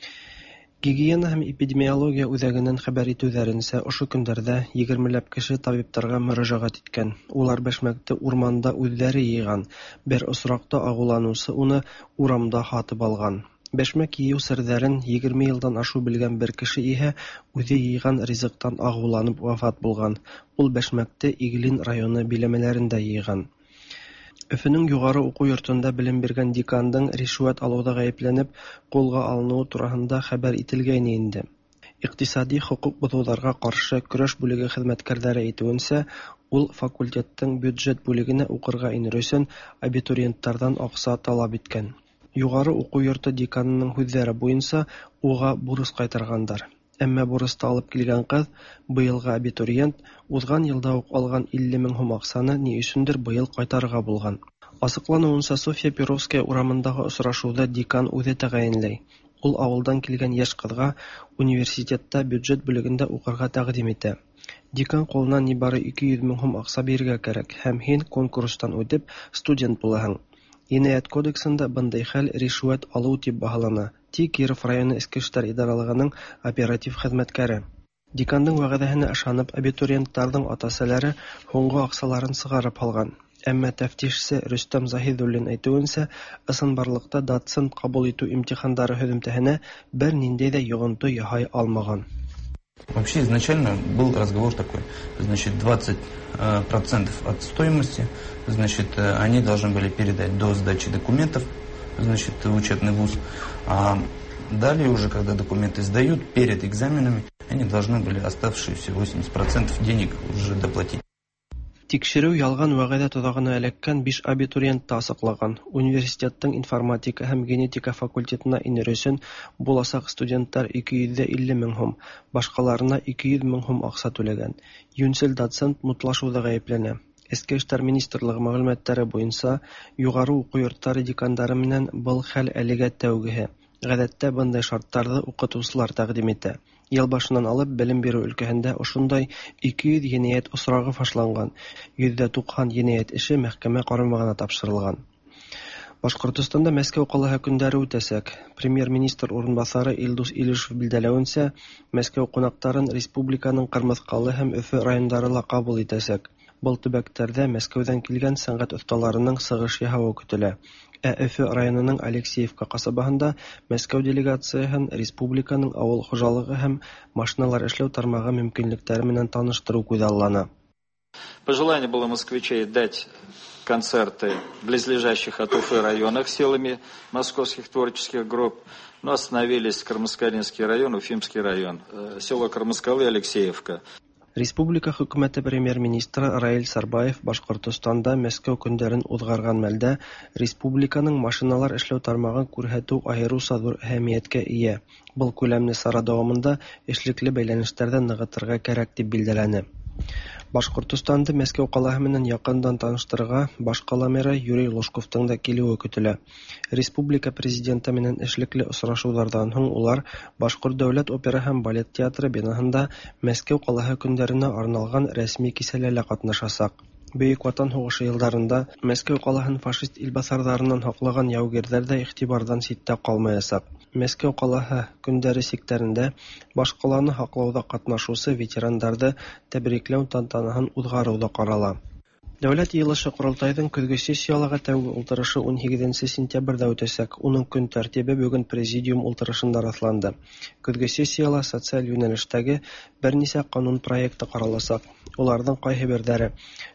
Гигиена һәм эпидемиология үзәгеннән хәбәр итүләренчә, ошо көндәрдә 20ләп кеше табибларга мөрәҗәгать иткән. Улар бәшмәкте урманда үзләре йыйган. Бер очракта агуланучы уны урамда һатып алган. Бәшмәк йыю серҙәрен 20 елдан ашу белгән бер кеше иһә үҙе йыйган ризыктан агуланып вафат булган. Ул бәшмәкте Иглин районы биләмәләрендә йыйган. Өфөнең югары уку йортында белем биргән декандың ришвәт алыуда гаепләнеп, кулга алынуы тураһында хәбәр ителгәйне инде. Икътисади хокук бозыуларга каршы көрәш бүлеге хезмәткәрләре әйтүенчә, ул факультеттың бюджет бүлегенә укырга инер өчен абитуриентлардан акча таләп иткән. Югары уку йорты деканының һүҙҙәре буйынса, уға бурыс ҡайтарғандар. Әммә бурысты алып килгән ҡыҙ, быйылғы абитуриент, уҙған йылда уҡ алған 50 мең һум аҡсаны ни өсөндөр быйыл ҡайтарырға булған. Асыҡланыуынса, Софья Перовская урамындағы осрашыуҙы декан үҙе тәғәйенләй. Ул ауылдан килгән йәш ҡыҙға университетта бюджет бүлегендә уҡырға тәҡдим итә. Декан ҡулына ни бары 200 мең һум аҡса бирергә кәрәк һәм һин конкурстан үтеп студент булаһың. Енәйәт кодексында бындай хәл ришүәт алыу тип баһалана, ти Киров районы Эске эштәр идаралығының оператив хеҙмәткәре. Декандың вәғәҙәһенә ышанып, абитуриенттарҙың ата-әсәләре һуңғы аҡсаларын сығарып һалған. Әммә тәфтишсе Рөстәм Заһиҙуллин әйтеүенсә, ысынбарлыҡта доцент ҡабул итеү имтихандары һөҙөмтәһенә бер ниндәй ҙә йоғонто яһай алмаған. Вообще изначально был разговор такой, значит, 20% от стоимости, значит, они должны были передать до сдачи документов, значит, в учебный вуз. А далее уже, когда документы сдают, перед экзаменами, они должны были оставшиеся 80% денег уже доплатить. Тикшереү ялған вәғәҙә тоҙағына эләккән 5 абитуриентты асыҡлаған. Университеттың информатика һәм генетика факультетына инер өсөн буласаҡ студенттар 250 мең һум, башҡаларына 200 мең һум аҡса түләгән. Йүнсел доцент мутлашыуҙа ғәйепләнә. Эске эштәр министрлығы мәғлүмәттәре буйынса, юғары уҡыу йорттары декандары менән был хәл әлегә тәүгеһе. Ғәҙәттә бындай шарттарҙы уҡытыусылар тәҡдим итә. Йыл башынан алып белем биреү өлкәһендә ошондай 200 енәйәт осрағы фашланған, 90% енәйәт эше мәхкәмә ҡарамағына тапшырылған. Башҡортостанда Мәскәү ҡалаһы көндәре үтәсәк. Премьер-министр урынбаҫары Илдус Илишев билдәләүенсә, Мәскәү ҡунаҡтарын республиканың Ҡырмыҫҡалы һәм Өфө райондары ла ҡабул итәсәк. Был төбәктәрҙә Мәскәүҙән килгән сәнғәт оҫталарының сығыш яһауы көтөлә. Ә Өфө районының Алексеевка ҡасабаһында Мәскәү делегацияһын республиканың ауыл хужалығы һәм машиналар эшләү тармағы мөмкинлектәре менән таныштырыу күҙаллана. Пожелание было москвичей дать концерты в близлежащих от Уфы районах силами московских творческих групп, но остановились Кармаскалинский район, Уфимский район, село Кармаскалы и Алексеевка. Республика хөкүмәте премьер-министры Раил Сарбаев Башҡортостанда Мәскәү көндәрен уҙғарған мәлдә республиканың машиналар эшләү тармағын күрһәтеү айырыуса ҙур әһәмиәткә эйә. Был күләмле сара дауамында эшлекле бәйләнештәрҙе нығытырға кәрәк тип билдәләне. Башҡортостанды Мәскәү ҡалаһы менән яҡындан таныштырырға баш ҡала мэры Юрий Лужковтың да килеүе көтөлә. Республика президенты менән эшлекле осрашыуҙарҙан һуң улар Башҡорт дәүләт опера һәм балет театры бинаһында Мәскәү ҡалаһы көндәренә арналған рәсми кисәлә лә ҡатнашасаҡ. Бөек Ватан һугышы елларында Мәскәү калаһын фашист илбасарларыннан һаклаган яугирләр дә игътибардан читтә калмаячак. Мәскәү калаһы көндәре чикләрендә башкаланы һаклауда катнашучы ветераннарны тәбрикләү тантанаһын уздыру да карала. Дәүләт җыелышы-Корылтайның көзге сессияләге тәүге утырышы 18 сентябрьдә үтәчәк. Уның көн тәртибе бүген президиум утырышында расланды. Көзге сессиялә социаль юнәлештәге берничә канун проекты каралачак. Уларның кайһыберләре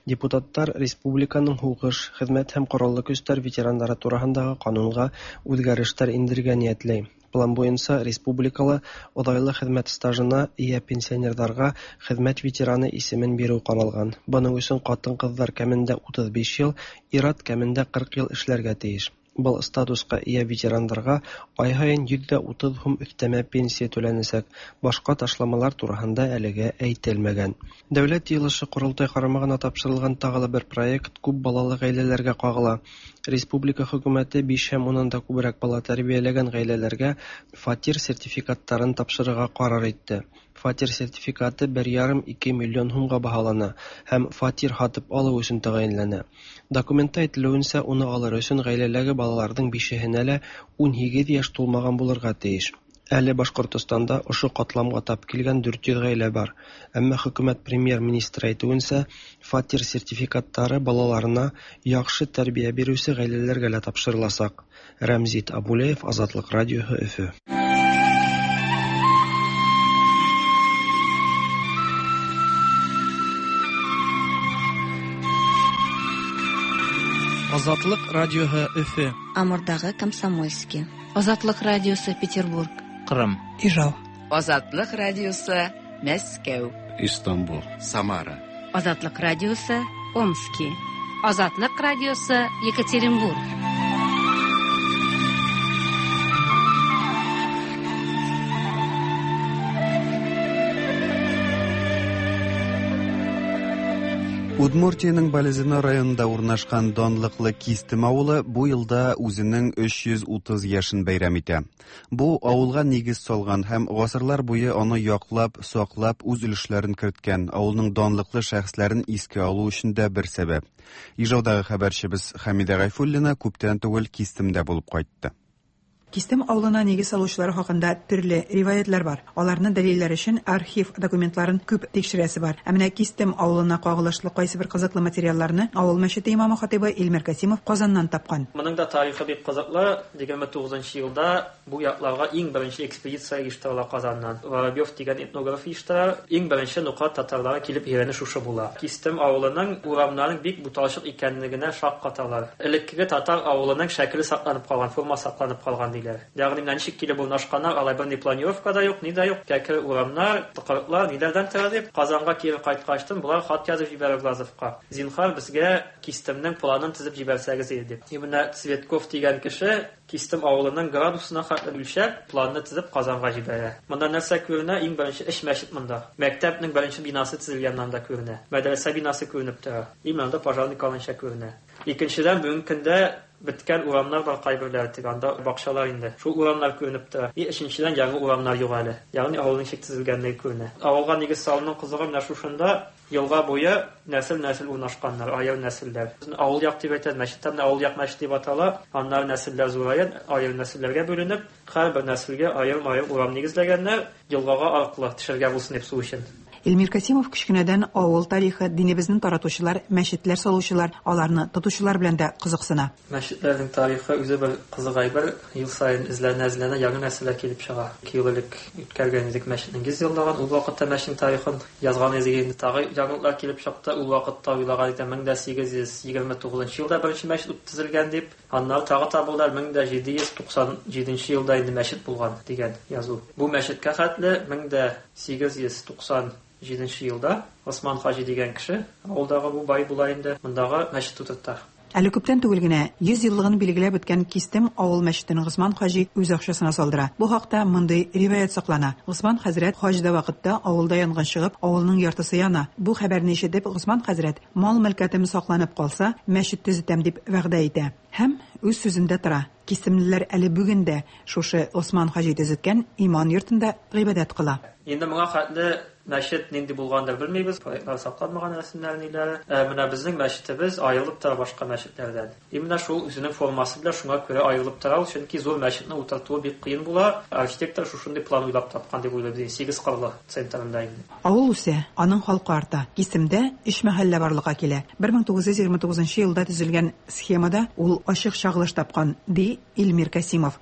депутатлар республиканың һугыш, хезмәт һәм кораллы көчләр ветераннары турындагы канунга үзгәрешләр индерергә ниятли. План буенча республикала озайлы хезмәт стажына ия пенсионерларга хезмәт ветераны исемен бирү каралган. Моның өчен хатын-кызлар кимендә 35 ел, ир-ат кимендә 40 ел эшләргә тиеш. Был статуска ия ветераннарга ай һаен 130 һум өстәмә пенсия түләнәчәк. Башка ташламалар турында әлегә әйтелмәгән. Дәүләт җыелышы-Корылтай карамагына тапшырылган тагы да бер проект күп балалы гаиләләргә кагыла. Республика хөкүмәте 5 һәм уннан да күбрәк бала тәрбияләгән гаиләләргә фатир сертификатларын тапшырырга карар итте. Фатир сертификаты 1,5-2 миллион һумга баһалана һәм фатир һатып алу өчен тәгаенләнә. Документта әйтелүенчә, уны алыр өчен гаиләдәге балаларның бишеһенә лә 18 яшь тулмаган булырга тиеш. Әле Башкортстанда ошо катламга тап килгән 400 гаилә бар. Әмма хөкүмәт премьер-министры әйтүенчә, фатир сертификатлары балаларына яхшы тәрбия бирүче гаиләләргә лә тапшырылачак. Рәмзит Абулеев, Азатлык радиоһы, Өфө. Азатлык радиоһы Өфө. Амурдагы Комсомольский. Азатлык радиосы Петербург. Кырым. Ижау. Азатлык радиосы Мәскәү. Истанбул. Самара. Азатлык радиосы Омски. Азатлык радиосы Екатеринбург. Удмуртиянең Балезино районында урнашкан данлыклы Кистем авылы бу елда үзенең 330 яшен бәйрәм итә. Бу авылга нигез салган һәм гасырлар буе аны яклап, саклап, үз өлешләрен керткән авылның данлыклы шәхесләрен искә алу өчен дә бер сәбәп. Ижаудагы хәбәрчебез Хәмидә Гайфуллина күптән түгел Кистемдә булып кайтты. Кистем авылына нигез салучылар хакында төрле риваятлар бар. Аларны дәлилләр өчен архив документларын күп тикшерәсе бар. Ә менә Кистем авылына кагылышлы кайсы бер кызыклы материалларны авыл мәчете имамы хатыйбы Илмир Касимов Казаннан тапкан. Моның да тарихы бик кызыклы. 29 елда бу якларга иң беренче экспедиция оештырыла Казаннан. Воробьев дигән этнограф оештыра. Иң беренче нукат татарлары килеп өйрәнү шушы була. Кистем авылының урамнарының бик буталчык икәнлегенә шаккаталар. Элеккеге татар авылының шәкеле сакланып калган, форма сакланып калган диләр. Ягъни менә ничек килеп урнашканнар, алай берни планировка да юк, ни дә юк. Кәкре урамнар, тыкрыклар ниләрдән тора дип, Казанга кире кайткачтын болар хат язып җибәрә Глазовка. Зинһар безгә Кистемнең планын төзеп җибәрсәгез иде дип. И менә Цветков дигән кеше Кистем авылының градусына хәтле үлчәп, планны төзеп Казанга җибәрә. Монда нәрсә күренә? Иң беренче эш мәчет монда. Мәктәпнең беренче бинасы төзелгән анда күренә. Мәдрәсә бинасы күренеп тора. И монда пожарный каланча күренә. Икенчедән, бүгенге көндә беткән урамнар бар кайберләре, тик анда бакчалар инде. Шул урамнар күренеп тора. И өченчедән, яңа урамнар юк әле. Ягъни авылның ничек төзелгәнлеге күренә. Авылга нигез салуның кызыгы менә шушында елга буе нәсел-нәсел урнашканнар, аерым нәселләр. Авыл як дип әйтәләр, мәчеттә менә авыл як мәчет дип атала. Аннары нәселләр зураен, аерым нәселләргә бүленеп, һәрбер нәселгә аерым-аерым урам нигезләгәннәр, елгага аркылы төшергә булсын дип су өчен. Илмир Касимов кечкенәдән авыл тарихы, динебезне таратучылар, мәчетләр салучылар, аларны тотучылар белән дә кызыксына. Мәчетләрнең тарихы үзе бер кызык әйбер. Ел саен эзләнә-эзләнә яңа нәрсәләр килеп чыга. 2 ел элек үткәргән идек мәчетнең 100 еллыгын. Ул вакытта мәчетнең тарихын язган идек инде. Тагы яңалыклар килеп чыкты. Ул вакытта уйлаган идем 1829 елда беренче мәчет төзелгән дип. Аннары тагы табылды 1797 елда инде мәчет булган дигән язу. Бу мәчеткә хәтле 1897 елда Осман Хаҗи дигән кеше, авылдагы бу бай була инде, мондагы мәчет тутырта. Әле күптән түгел генә 100 еллыгын билгеләп үткән Кистем авыл мәчетен Госман Хаҗи үз акчасына салдыра. Бу хакта мондый риваять саклана. Госман хәзрәт хаҗда вакытта авылда янгын чыгып, авылның яртысы яна. Бу хәбәрне ишетеп, Госман хәзрәт мал-мөлкәтем сакланып калса, мәчет төзетәм дип вәгъдә итә. Һәм үз сүзендә тора. Кистемлеләр әле бүген дә шушы Осман Хаҗи төзеткән иман йортында гыйбадәт кыла. Инде моңа хәтле Мәчет нинди булгандыр белмибез, проектлар сакланмаган рәсемнәр ниләре. Ә менә безнең мәчетебез аерылып тора башка мәчетләрдән. И менә шул үзенең формасы белән шуңа күрә аерылып тора ул, чөнки зур мәчетне утыртуы бик кыен була. Архитектор шушындый план уйлап тапкан дип уйлыйбыз, сигез кырлы центрында инде. Авыл үсә, аның халкы арта. Кистемдә өч мәхәллә барлыкка килә. 1929 елда төзелгән схемада ул ачык чагылыш тапкан, ди Илмир Касимов.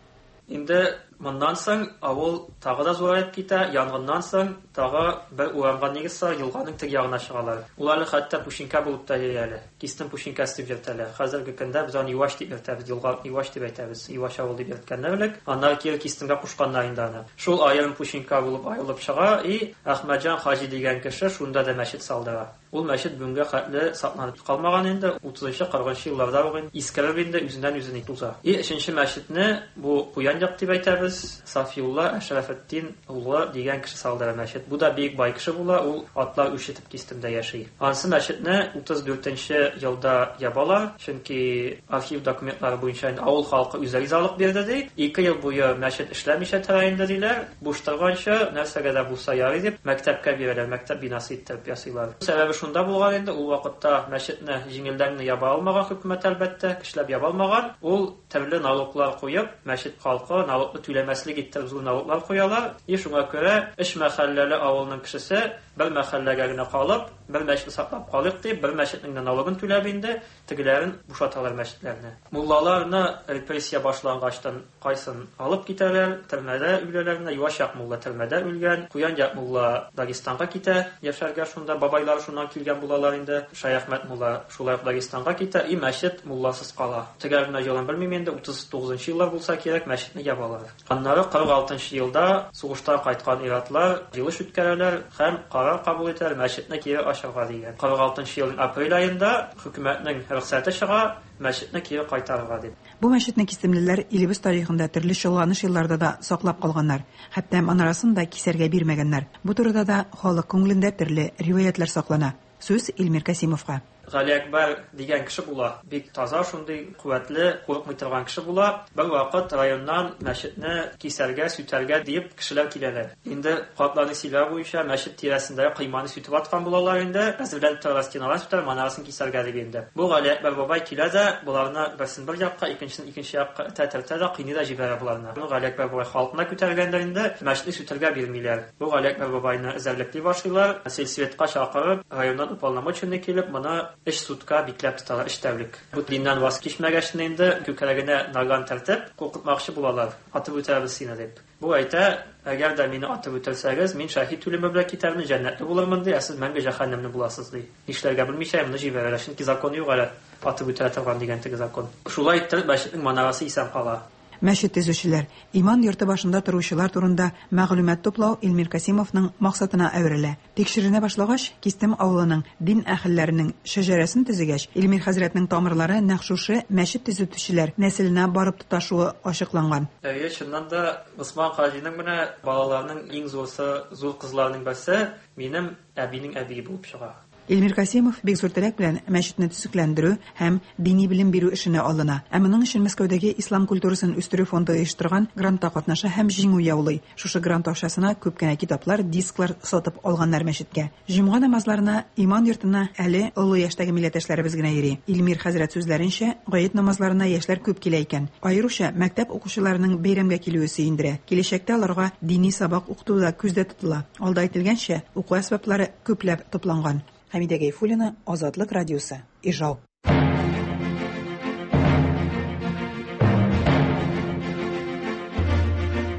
Инде моннан соң авыл тагы да зураеп китә, янгыннан соң тагы бер урамга нигез салып, елганың теге ягына чыгалар. Ул әле хәтта Пүшинкә булып та йөри әле. Кистем Пүшинкәсе дип йөртәләр. Хәзерге көндә без аны Юаш дип йөртәбез, елга Юаш дип әйтәбез. Юаш авыл дип йөрткәннәр элек. Аннары кире Кистемгә кушканнар инде аны. Шул аерым Пүшинкә булып аерылып чыга и Әхмәтҗан хаҗи дигән кеше шунда да мәчет салдыра. Ул мәчет бүгенгә хәтле сакланып калмаган инде, 30-40 елларда ук инде искереп инде үзеннән үзе туза. И өченче мәчетне бу Куян як дип әйтәбез, Сафиулла Әшрафетдин улы дигән кеше салдыра мәчет. Бу да бик бай кеше була, ул атлар үрчетеп Кистемдә яши. Ансы мәчетне 34 елда ябалар, чөнки архив документлары буенча инде авыл халкы үзе ризалык бирде ди. 2 ел буе мәчет эшләмичә тора инде диләр. Буш торганчы, нәрсәгә дә булса ярый дип, мәктәпкә бирәләр, мәктәп бинасы иттереп ясыйлар. Сәбәбе шунда булган инде, ул вакытта мәчетне җиңелдән генә яба алмаган хөкүмәт, әлбәттә, көчләп яба алмаган. Ул төрле налоглар куеп, мәчет халкы налогны түләмәслек иттереп зур налоглар куялар. И шуңа күрә өч мәхәлләле авылның кешесе бер мәхәлләгә генә калып, бер мәчетне саклап калыйк дип, бер мәчетнең генә налогын түләп инде, тегеләрен бушаталар мәчетләрне. Муллаларны репрессия башлангачтан кайсын алып китәләр, төрмәдә үләләр менә, Юаш як мулла төрмәдә үлгән, Куян як мулла Дагестанга китә яшәргә шунда, бабайлары шуннан килгән булалар инде. Шәяхмәт мулла шулай ук Дагестанга китә, и мәчет мулласыз кала. Төгәл генә елын белмим инде, 39 еллар булса кирәк, мәчетне ябалар. Аннары 46 елда сугыштан кайткан ир-атлар җыелыш үткәрәләр һәм карар кабул итәләр мәчетне кире ачарга дигән. 46 елның апрель аенда хөкүмәтнең рөхсәте чыга, мәчетне кире кайтарырга дип. Бу мәчетне кистемлеләр илебез тарихында төрле чолганыш елларда да саклап калганнар. Хәтта манарасын да кисәргә бирмәгәннәр. Бу турыда да халык күңелендә төрле риваятьләр саклана. Сүз Илмир Касимовка. Галиәкбәр дигән кеше була. Бик таза, шундый куәтле, курыкмый торган кеше була. Бервакыт районнан мәчетне кисәргә, сүтәргә диеп кешеләр киләләр. Инде картларның сөйләве буенча мәчет тирәсендәге койманы сүтеп аткан булалар инде. Әзерләнеп торалар, стеналарын сүтәләр, манарасын кисәргә дип инде. Бу Галиәкбәр бабай килә дә, боларны берсен бер якка, икенчесен икенче якка этә-төртә дә, кыйный да җибәрә боларны. Бу Галиәкбәр бабай халкына күтәрелгәндер инде, мәчетне сүтәргә бирмиләр. Бу Галиәкбәр бабайны эзәрлекли башлыйлар, сельсоветка чакырып, районнан уполномоченный килеп, моны өч сутка бикләп тоталар, өч тәүлек. Бу диннән ваз кичмәгәч инде, күкрәгенә наган төртеп, куркытмакчы булалар, атып үтерәбез сине дип. Бу әйтә, әгәр дә мине атып үтерсәгез, мин шәһит үлеме белән китәрмен, җәннәтле булырмын ди, ә сез мәңге җәһәннәмле буласыз ди. Нишләргә белмичә, моны җибәрәләр, чөнки закон юк әле, атып үтерә торган дигән теге закон. Шулай иттереп, мәчетнең манарасы исән кала. Мәчет төзүчеләр, иман йорты башында торучылар турында мәгълүмат туплау Илмир Касимовның максатына әверелә. Тикшеренә башлагач, Кистем авылының дин әһелләренең шәҗәрәсен төзегәч, Илмир хәзрәтнең тамырлары нәкъ шушы мәчет төзетүчеләр нәселенә барып тоташуы ачыкланган. Әйе, чыннан да, Госман хаҗиның менә балаларының иң зурысы, зур кызларының берсе минем әбинең әбие булып чыга. Илмир Касимов бик зур теләк белән мәчетне төзекләндерү һәм дини белем бирү эшенә алына. Ә моның өчен Мәскәүдәге Ислам культурасын үстерү фонды оештырган грантта катнаша һәм җиңү яулый. Шушы грант акчасына күп кенә китаплар, дисклар сатып алганнар мәчеткә. Җомга намазларына иман йортына әле олы яшьтәге милләттәшләребез генә йөри. Илмир хәзрәт сүзләренчә, гает намазларына яшьләр күп килә икән. Аеруча мәктәп укучыларының бәйрәмгә килүе сөендерә. Киләчәктә аларга дини сабак укыту да күздә тотыла. Алда әйтелгәнчә, уку әсбаплары күпләп тупланган. Хәмидә Гайфуллина, Азатлык радиосы, Ижау.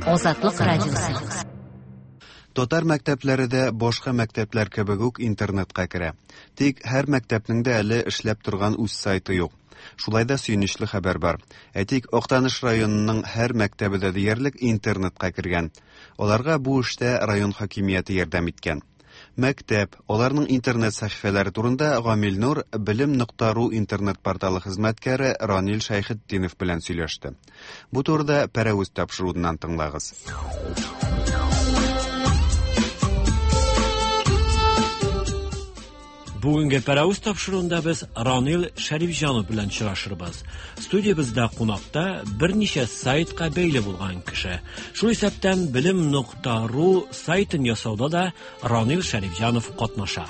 Азатлык радиосы. Татар мәктәпләре дә башка мәктәпләр кебек үк интернетка керә. Тик һәр мәктәпнең дә әле эшләп торган үз сайты юк. Шулай да сөенечле хәбәр бар. Әйтик, Актаныш районының һәр мәктәбе дә диярлек интернетка кергән. Аларга бу эштә район хакимияте ярдәм иткән. Мәктәп, аларның интернет сәхифәләре турында Гамил Нур белем нокта ру интернет порталы хезмәткәре Ранил Шәйхетдинов белән сөйләште. Бу турыда Пәрәвез тапшыруыннан тыңлагыз. Бүгенге Пәрәвез тапшыруында без Ранил Шәрифҗанов белән очрашырбыз. Студиябездә кунакта берничә сайтка бәйле булган кеше. Шул исәптән белем.ру сайтын ясауда да Ранил Шәрифҗанов катнаша.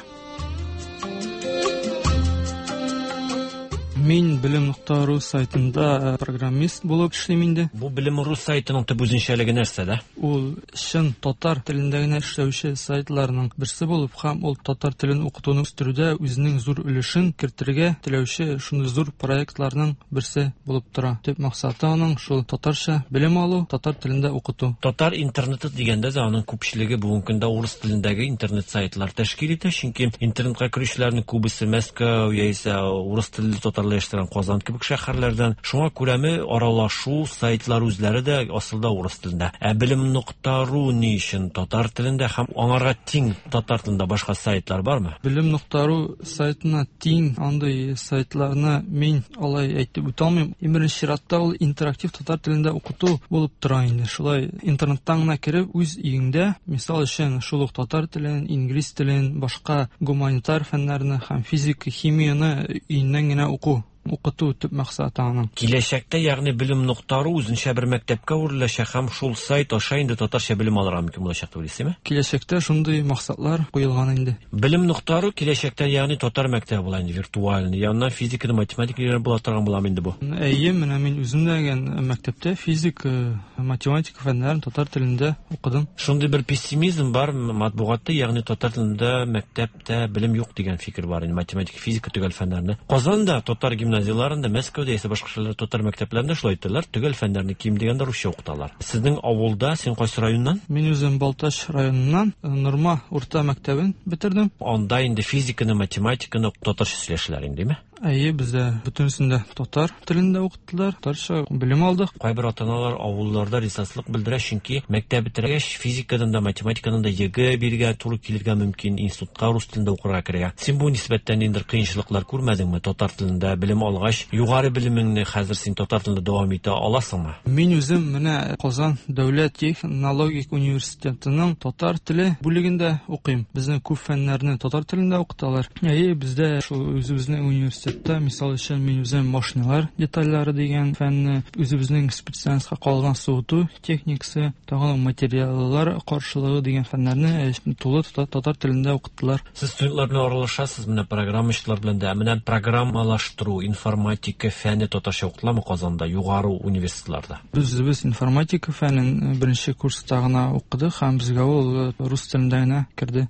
Мин белем.ру сайтында программист булып эшлим инде. Бу белем.ру сайтының төп үзенчәлеге нәрсәдә? Ул чын татар телендә генә эшләүче сайтларның берсе булып һәм ул татар телен укытуны үстерүдә үзенең зур өлешен кертергә теләүче шундый зур проектларның берсе булып тора. Төп максаты аның шул татарча белем алу, татар телендә укыту. Татар интернеты дигәндә дә аның күпчелеге бүгенге көндә урыс телендәге интернет сайтлар тәшкил итә, чөнки интернетка керүчеләрнең күбесе Мәскәү яисә урыс телле татарлар яшәгән Казан кебек шәһәрләрдән. Шуңа күрәме аралашу сайтлар үзләре дә асылда урыс телендә. Ә белем.ру ни өчен татар телендә һәм аңарга тиң татар телендә башка сайтлар бармы? Белем.ру сайтына тиң андый сайтларны мин алай әйтеп үтә алмыйм. Иң беренче чиратта ул интерактив татар телендә укыту булып тора инде. Шулай интернеттан гына кереп үз өеңдә, мисал өчен, шул ук татар телен, инглиз телен, башка гуманитар фәннәрне һәм физика, химияне өеннән генә уку. Укыту төп максаты аның. Киләчәктә, ягъни белем.ру үзенчә бер мәктәпкә әвереләчәк һәм шул сайт аша инде татарча белем алырга мөмкин булачак дип уйлыйсызмы? Киләчәктә шундый максатлар куелган инде. Белем.ру киләчәктә, ягъни татар мәктәбе була инде виртуальный. Яннан физиканы, математика өйрәнеп була торган була инде бу. Әйе, менә мин үзем дә мәктәптә физика, математика фәннәрен татар телендә укыдым. Шундый бер пессимизм бар матбугатта, ягъни татар телендә мәктәптә белем юк дигән фикер бар инде математика, физика төгәл фәннәрне. Казанда татар гимназияларында, Мәскәүдә яисә башка шәһәрләрдә татар мәктәпләрендә шулай итәләр, төгәл фәннәрне ким дигәндә русча укыталар. Сезнең авылда, син кайсы районнан? Мин үзем Балтач районыннан, Норма урта мәктәбен бетердем. Анда инде физиканы, математиканы татарча сөйләшәләр инде, димме? Әйе, бездә бөтенесендә татар телендә укыттылар, татарча белем алдык. Кайбер ата-аналар авылларда ризасызлык белдерә, чөнки мәктәп бетергәч физикадан да, математикадан да ЕГЭ бирергә туры килергә мөмкин, институтка рус телендә укырга керергә. Син бу нисбәттән ниндидер кыенчылыклар күрмәдеңме? Татар телендә белем алгач, югары белемеңне хәзер син татар телендә дәвам итә аласыңмы? Мин үзем менә Казан дәүләт технологик университетының татар теле бүлегендә укыйм. Безнең күп фәннәрне татар телендә укыталар. Әйе, бездә шул үзебезнең университетта, мисал өчен, мин үзем машиналар детальләре дигән фәнне, үзебезнең специальностька калган суыту техникасы, тагын материаллар каршылыгы дигән фәннәрне тулы татар телендә укыттылар. Сез студентлар белән аралашасыз, менә программачылар белән дә, менә программалаштыру, информатика фәне татарча укытыламы Казанда, югары университетларда? Без үзебез информатика фәнен беренче курста гына укыдык һәм безгә ул рус телендә генә керде.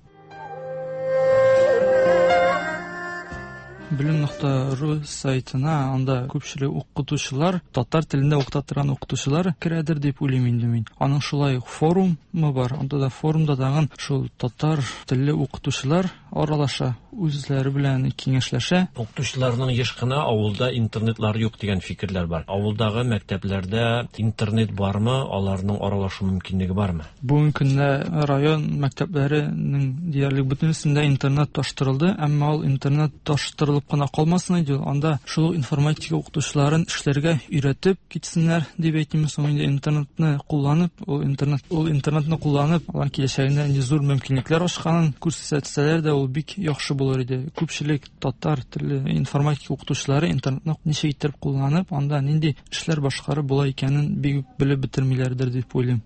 Белем.ру сайтына анда күпчелек укытучылар, татар телендә укыта торган укытучылар керәдер дип уйлыйм инде мин. Аның шулай ук форумы бар, анда да форумда тагын шул татар телле укытучылар аралаша, үзләре белән киңәшләшә. Укытучыларның еш кына авылда интернетлар юк дигән фикерләр бар. Авылдагы мәктәпләрдә интернет бармы, аларның аралашу мөмкинлеге бармы? Бүгенге көндә район мәктәпләренең диярлек бөтенесендә интернет таштырылды, әмма ул интернет таштырылып кына калмасын иде, анда шул ук информатика укытучыларын эшләргә өйрәтеп китсеннәр дип әйтим. Соң инде интернетны кулланып, ул интернетны кулланып, алар киләчәгендә инде зур мөмкинлекләр ачканын күрсәтсәләр дә ул бик яхшы булыр иде. Күпчелек татар телле информатика укытучылары интернетны ничек итеп кулланып, анда нинди эшләр башкарып була икәнен бик белеп бетермиләрдер дип уйлыйм.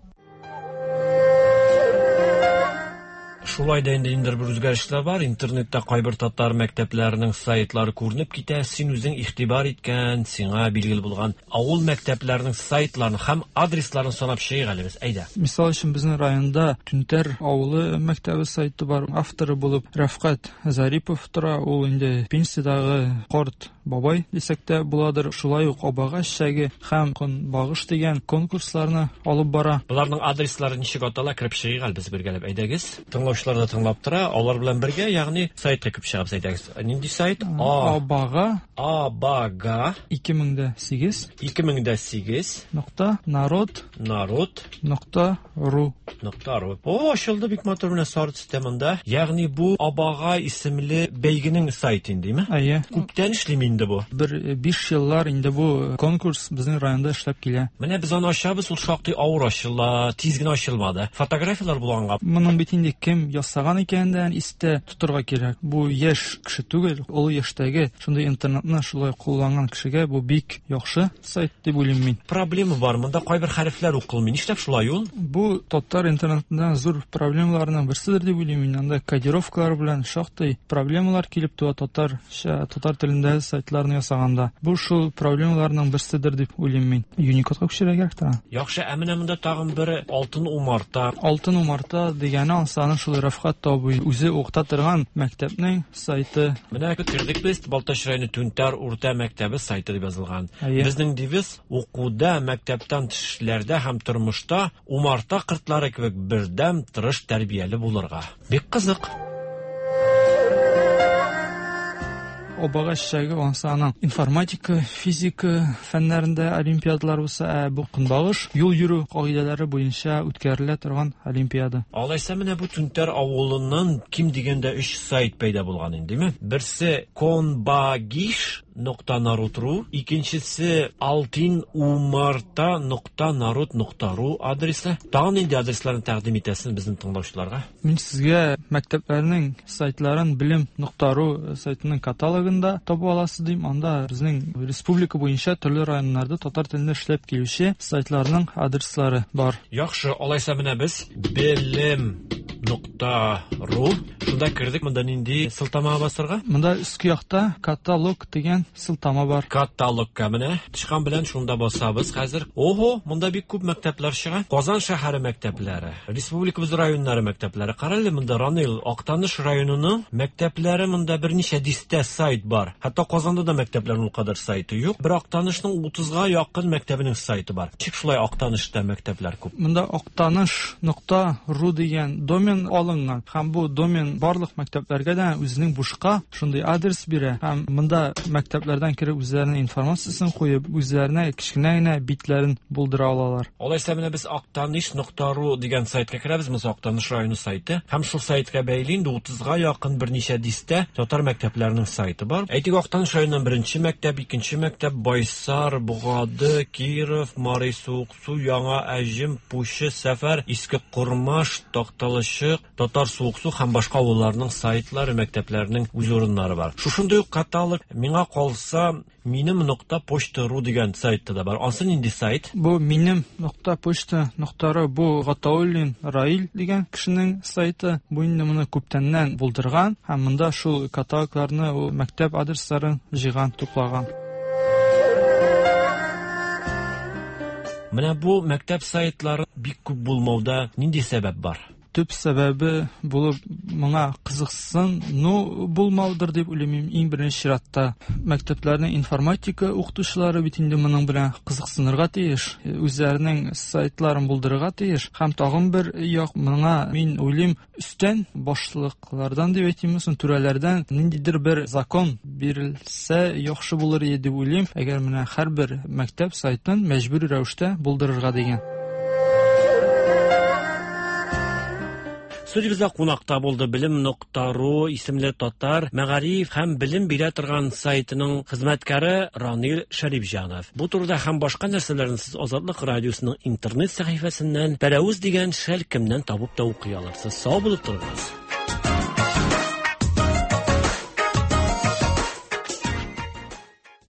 Шулай да инде ниндидер бер үзгәрешләр бар. Интернетта кайбер татар мәктәпләренең сайтлары күренеп китә. Син үзең игътибар иткән, сиңа билгеле булган авыл мәктәпләренең сайтларын һәм адресларын санап чыгыйк әле без. Әйдә. Мисал өчен, безнең районда Түнтәр авылы мәктәбе сайты бар. Авторы булып Рәфкать Зарипов тора. Ул инде пенсиядәге карт бабай дисәк тә буладыр. Шулай ук Абага чәге һәм Көнбагыш дигән конкурсларны алып бара. Буларның адреслары ничек атала, кереп чыгыйк әле без бергәләп. Әйдәгез. Тыңлаучылар да тыңлап тора, алар белән бергә, ягъни сайтка кереп чыгабыз, әйдәгез. Нинди сайт? Абага. Абага. 2008. 2008. Нокта народ. Народ. Нокта ру. Нокта ру. О, ачылды бик матур менә сары төстә монда. Ягъни бу Абага исемле бәйгенең сайты инде, димме? Әйе. Күптән эшлим. инде бу? Бер 5 еллар инде бу конкурс безнең районда эшләп килә. Менә без аны ачабыз, ул шактый авыр ачыла, тиз генә ачылмады. Фотографияләр булганга. Моның бит инде кем ясаган икәнен дә истә тотырга кирәк. Бу яшь кеше түгел, олы яшьтәге шундый интернетны шулай кулланган кешегә бу бик яхшы сайт дип уйлыйм мин. Проблема бар, монда кайбер хәрефләр укылмый. Нишләп шулай ул? Бу татар интернетында зур проблемаларның берседер дип уйлыйм мин. Анда кодировкалар белән шактый проблемалар килеп туа татарча, татар телендә сайтларны ясаганда. Бу шул проблемаларның берседер дип уйлыйм мин. Unicode-ка күчерергә кирәк тора. Яхшы, ә менә монда тагын бер Алтын умарта. Алтын умарта дигәне ансаның шул Рафхат абый үзе укыта торган мәктәпнең сайты. Менә кердек без Балтач районы Түнтәр урта мәктәбе сайты дип язылган. Безнең девиз укуда, мәктәптән тыш эшләрдә һәм тормышта умарта кортлары кебек бердәм, тырыш, тәрбияле булырга. Бик кызык. Обага чәчәге ансы аның информатика, физика фәннәрендә олимпиадалар булса, ә бу көнбагыш юл йөрү кагыйдәләре буенча үткәрелә торган олимпиада. Алайса менә бу Түнтәр авылыннан ким дигәндә 3 сайт пәйда булган инде, димме? Берсе конбагиш нокта народ ру, икенчесе алтин умарта нокта народ нокта ру адресы. Тагын нинди адресларны тәкъдим итәсең безнең тыңлаучыларга? Мин сезгә мәктәпләрнең сайтларын белем нокта ру сайтының каталогында таба аласыз дим. Анда безнең республика буенча төрле районнарда татар телендә эшләп килүче сайтларның адреслары бар. Яхшы, алайса менә без белем нокта ру шунда кердек. Монда нинди сылтама басырга? Монда өске якта каталог дигән сылтама бар. Каталогка менә тычкан белән шунда басабыз хәзер. Ого, монда бик күп мәктәпләр чыга. Казан шәһәре мәктәпләре, республикабыз районнары мәктәпләре. Кара әле монда Ранил, Актаныш районының мәктәпләре монда берничә дистә сайт бар. Хәтта Казанда да мәктәпләрнең ул кадәр сайты юк. Бер Актанышның 30-га якын мәктәбенең сайты бар. Ничек шулай Актанышта мәктәпләр күп? Монда Актаныш нокта ру дигән домен алынган һәм бу домен барлык мәктәпләргә дә үзенең бушка шундый адрес бирә һәм монда мәктәпләрдән кереп үзләренең информациясен куеп, үзләренә кечкенә генә битләрен булдыра алалар. Алайса менә без Актаныш нокта ру дигән сайтка керәбез, монысы Актаныш районы сайты. Һәм шул сайтка бәйле инде 30-га якын берничә дистә татар мәктәпләренең сайты бар. Әйтик, Актаныш районыннан беренче мәктәп, икенче мәктәп, Байсар, Богады, Киров, Мари Суыксу, Яңа Әҗем, Пучы, Сәфәр, Иске Кормаш, Такталачык, Татар Суыксу һәм башка авылларның сайтлары, мәктәпләренең үз урыннары бар. Шушындый ук каталог миңа калса, минем нокта почта ру дигән сайтта да бар. Ансы нинди сайт? Бу минем нокта почта нокта ру, бу Гатауллин Раил дигән кешенең сайты. Бу инде моны күптәннән булдырган һәм монда шул каталогларны, ул мәктәп адресларын җыйган, туплаган. Менә бу мәктәп сайтлары бик күп булмауда нинди сәбәп бар? Төп сәбәбе булып моңа кызыксыну булмаудыр дип уйлыйм. Иң беренче чиратта мәктәпләрнең информатика укытучылары бит инде моның белән кызыксынырга тиеш, үзләренең сайтларын булдырырга тиеш. Һәм тагын бер як моңа мин уйлыйм, өстән башлыклардан дип әйтимме соң, түрәләрдән ниндидер бер закон бирелсә яхшы булыр иде дип уйлыйм. Әгәр менә һәрбер мәктәп сайтын мәҗбүри рәвештә булдырырга дигән. Студиябездә кунакта булды белем нокта ру исемле татар мәгариф һәм белем бирә торган сайтының хезмәткәре Ранил Шәрипҗанов. Бу турыда һәм башка нәрсәләрне сез Азатлык радиосының интернет сәхифәсеннән Пәрәвез дигән шәлкемнән табып та укый алырсыз. Сау булып торыгыз.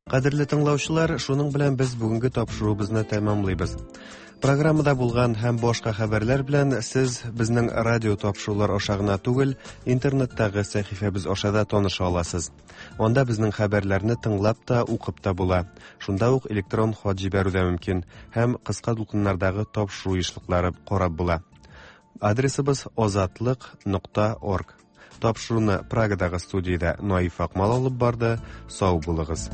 Кадерле тыңлаучылар, шуның белән без бүгенге тапшыруыбызны тәмамлыйбыз. Программада булган һәм башка хәбәрләр белән сез безнең радио тапшырулар аша гына түгел, интернеттагы сәхифәбез аша да таныша аласыз. Анда безнең хәбәрләрне тыңлап та, укып та була. Шунда ук электрон хат җибәрү дә мөмкин һәм кыска дулкыннардагы тапшыру ешлыклары карап була. Адресыбыз азатлык нокта орг. Тапшыруны Прагадагы студиядә Наиф Акмал алып барды. Сау булыгыз.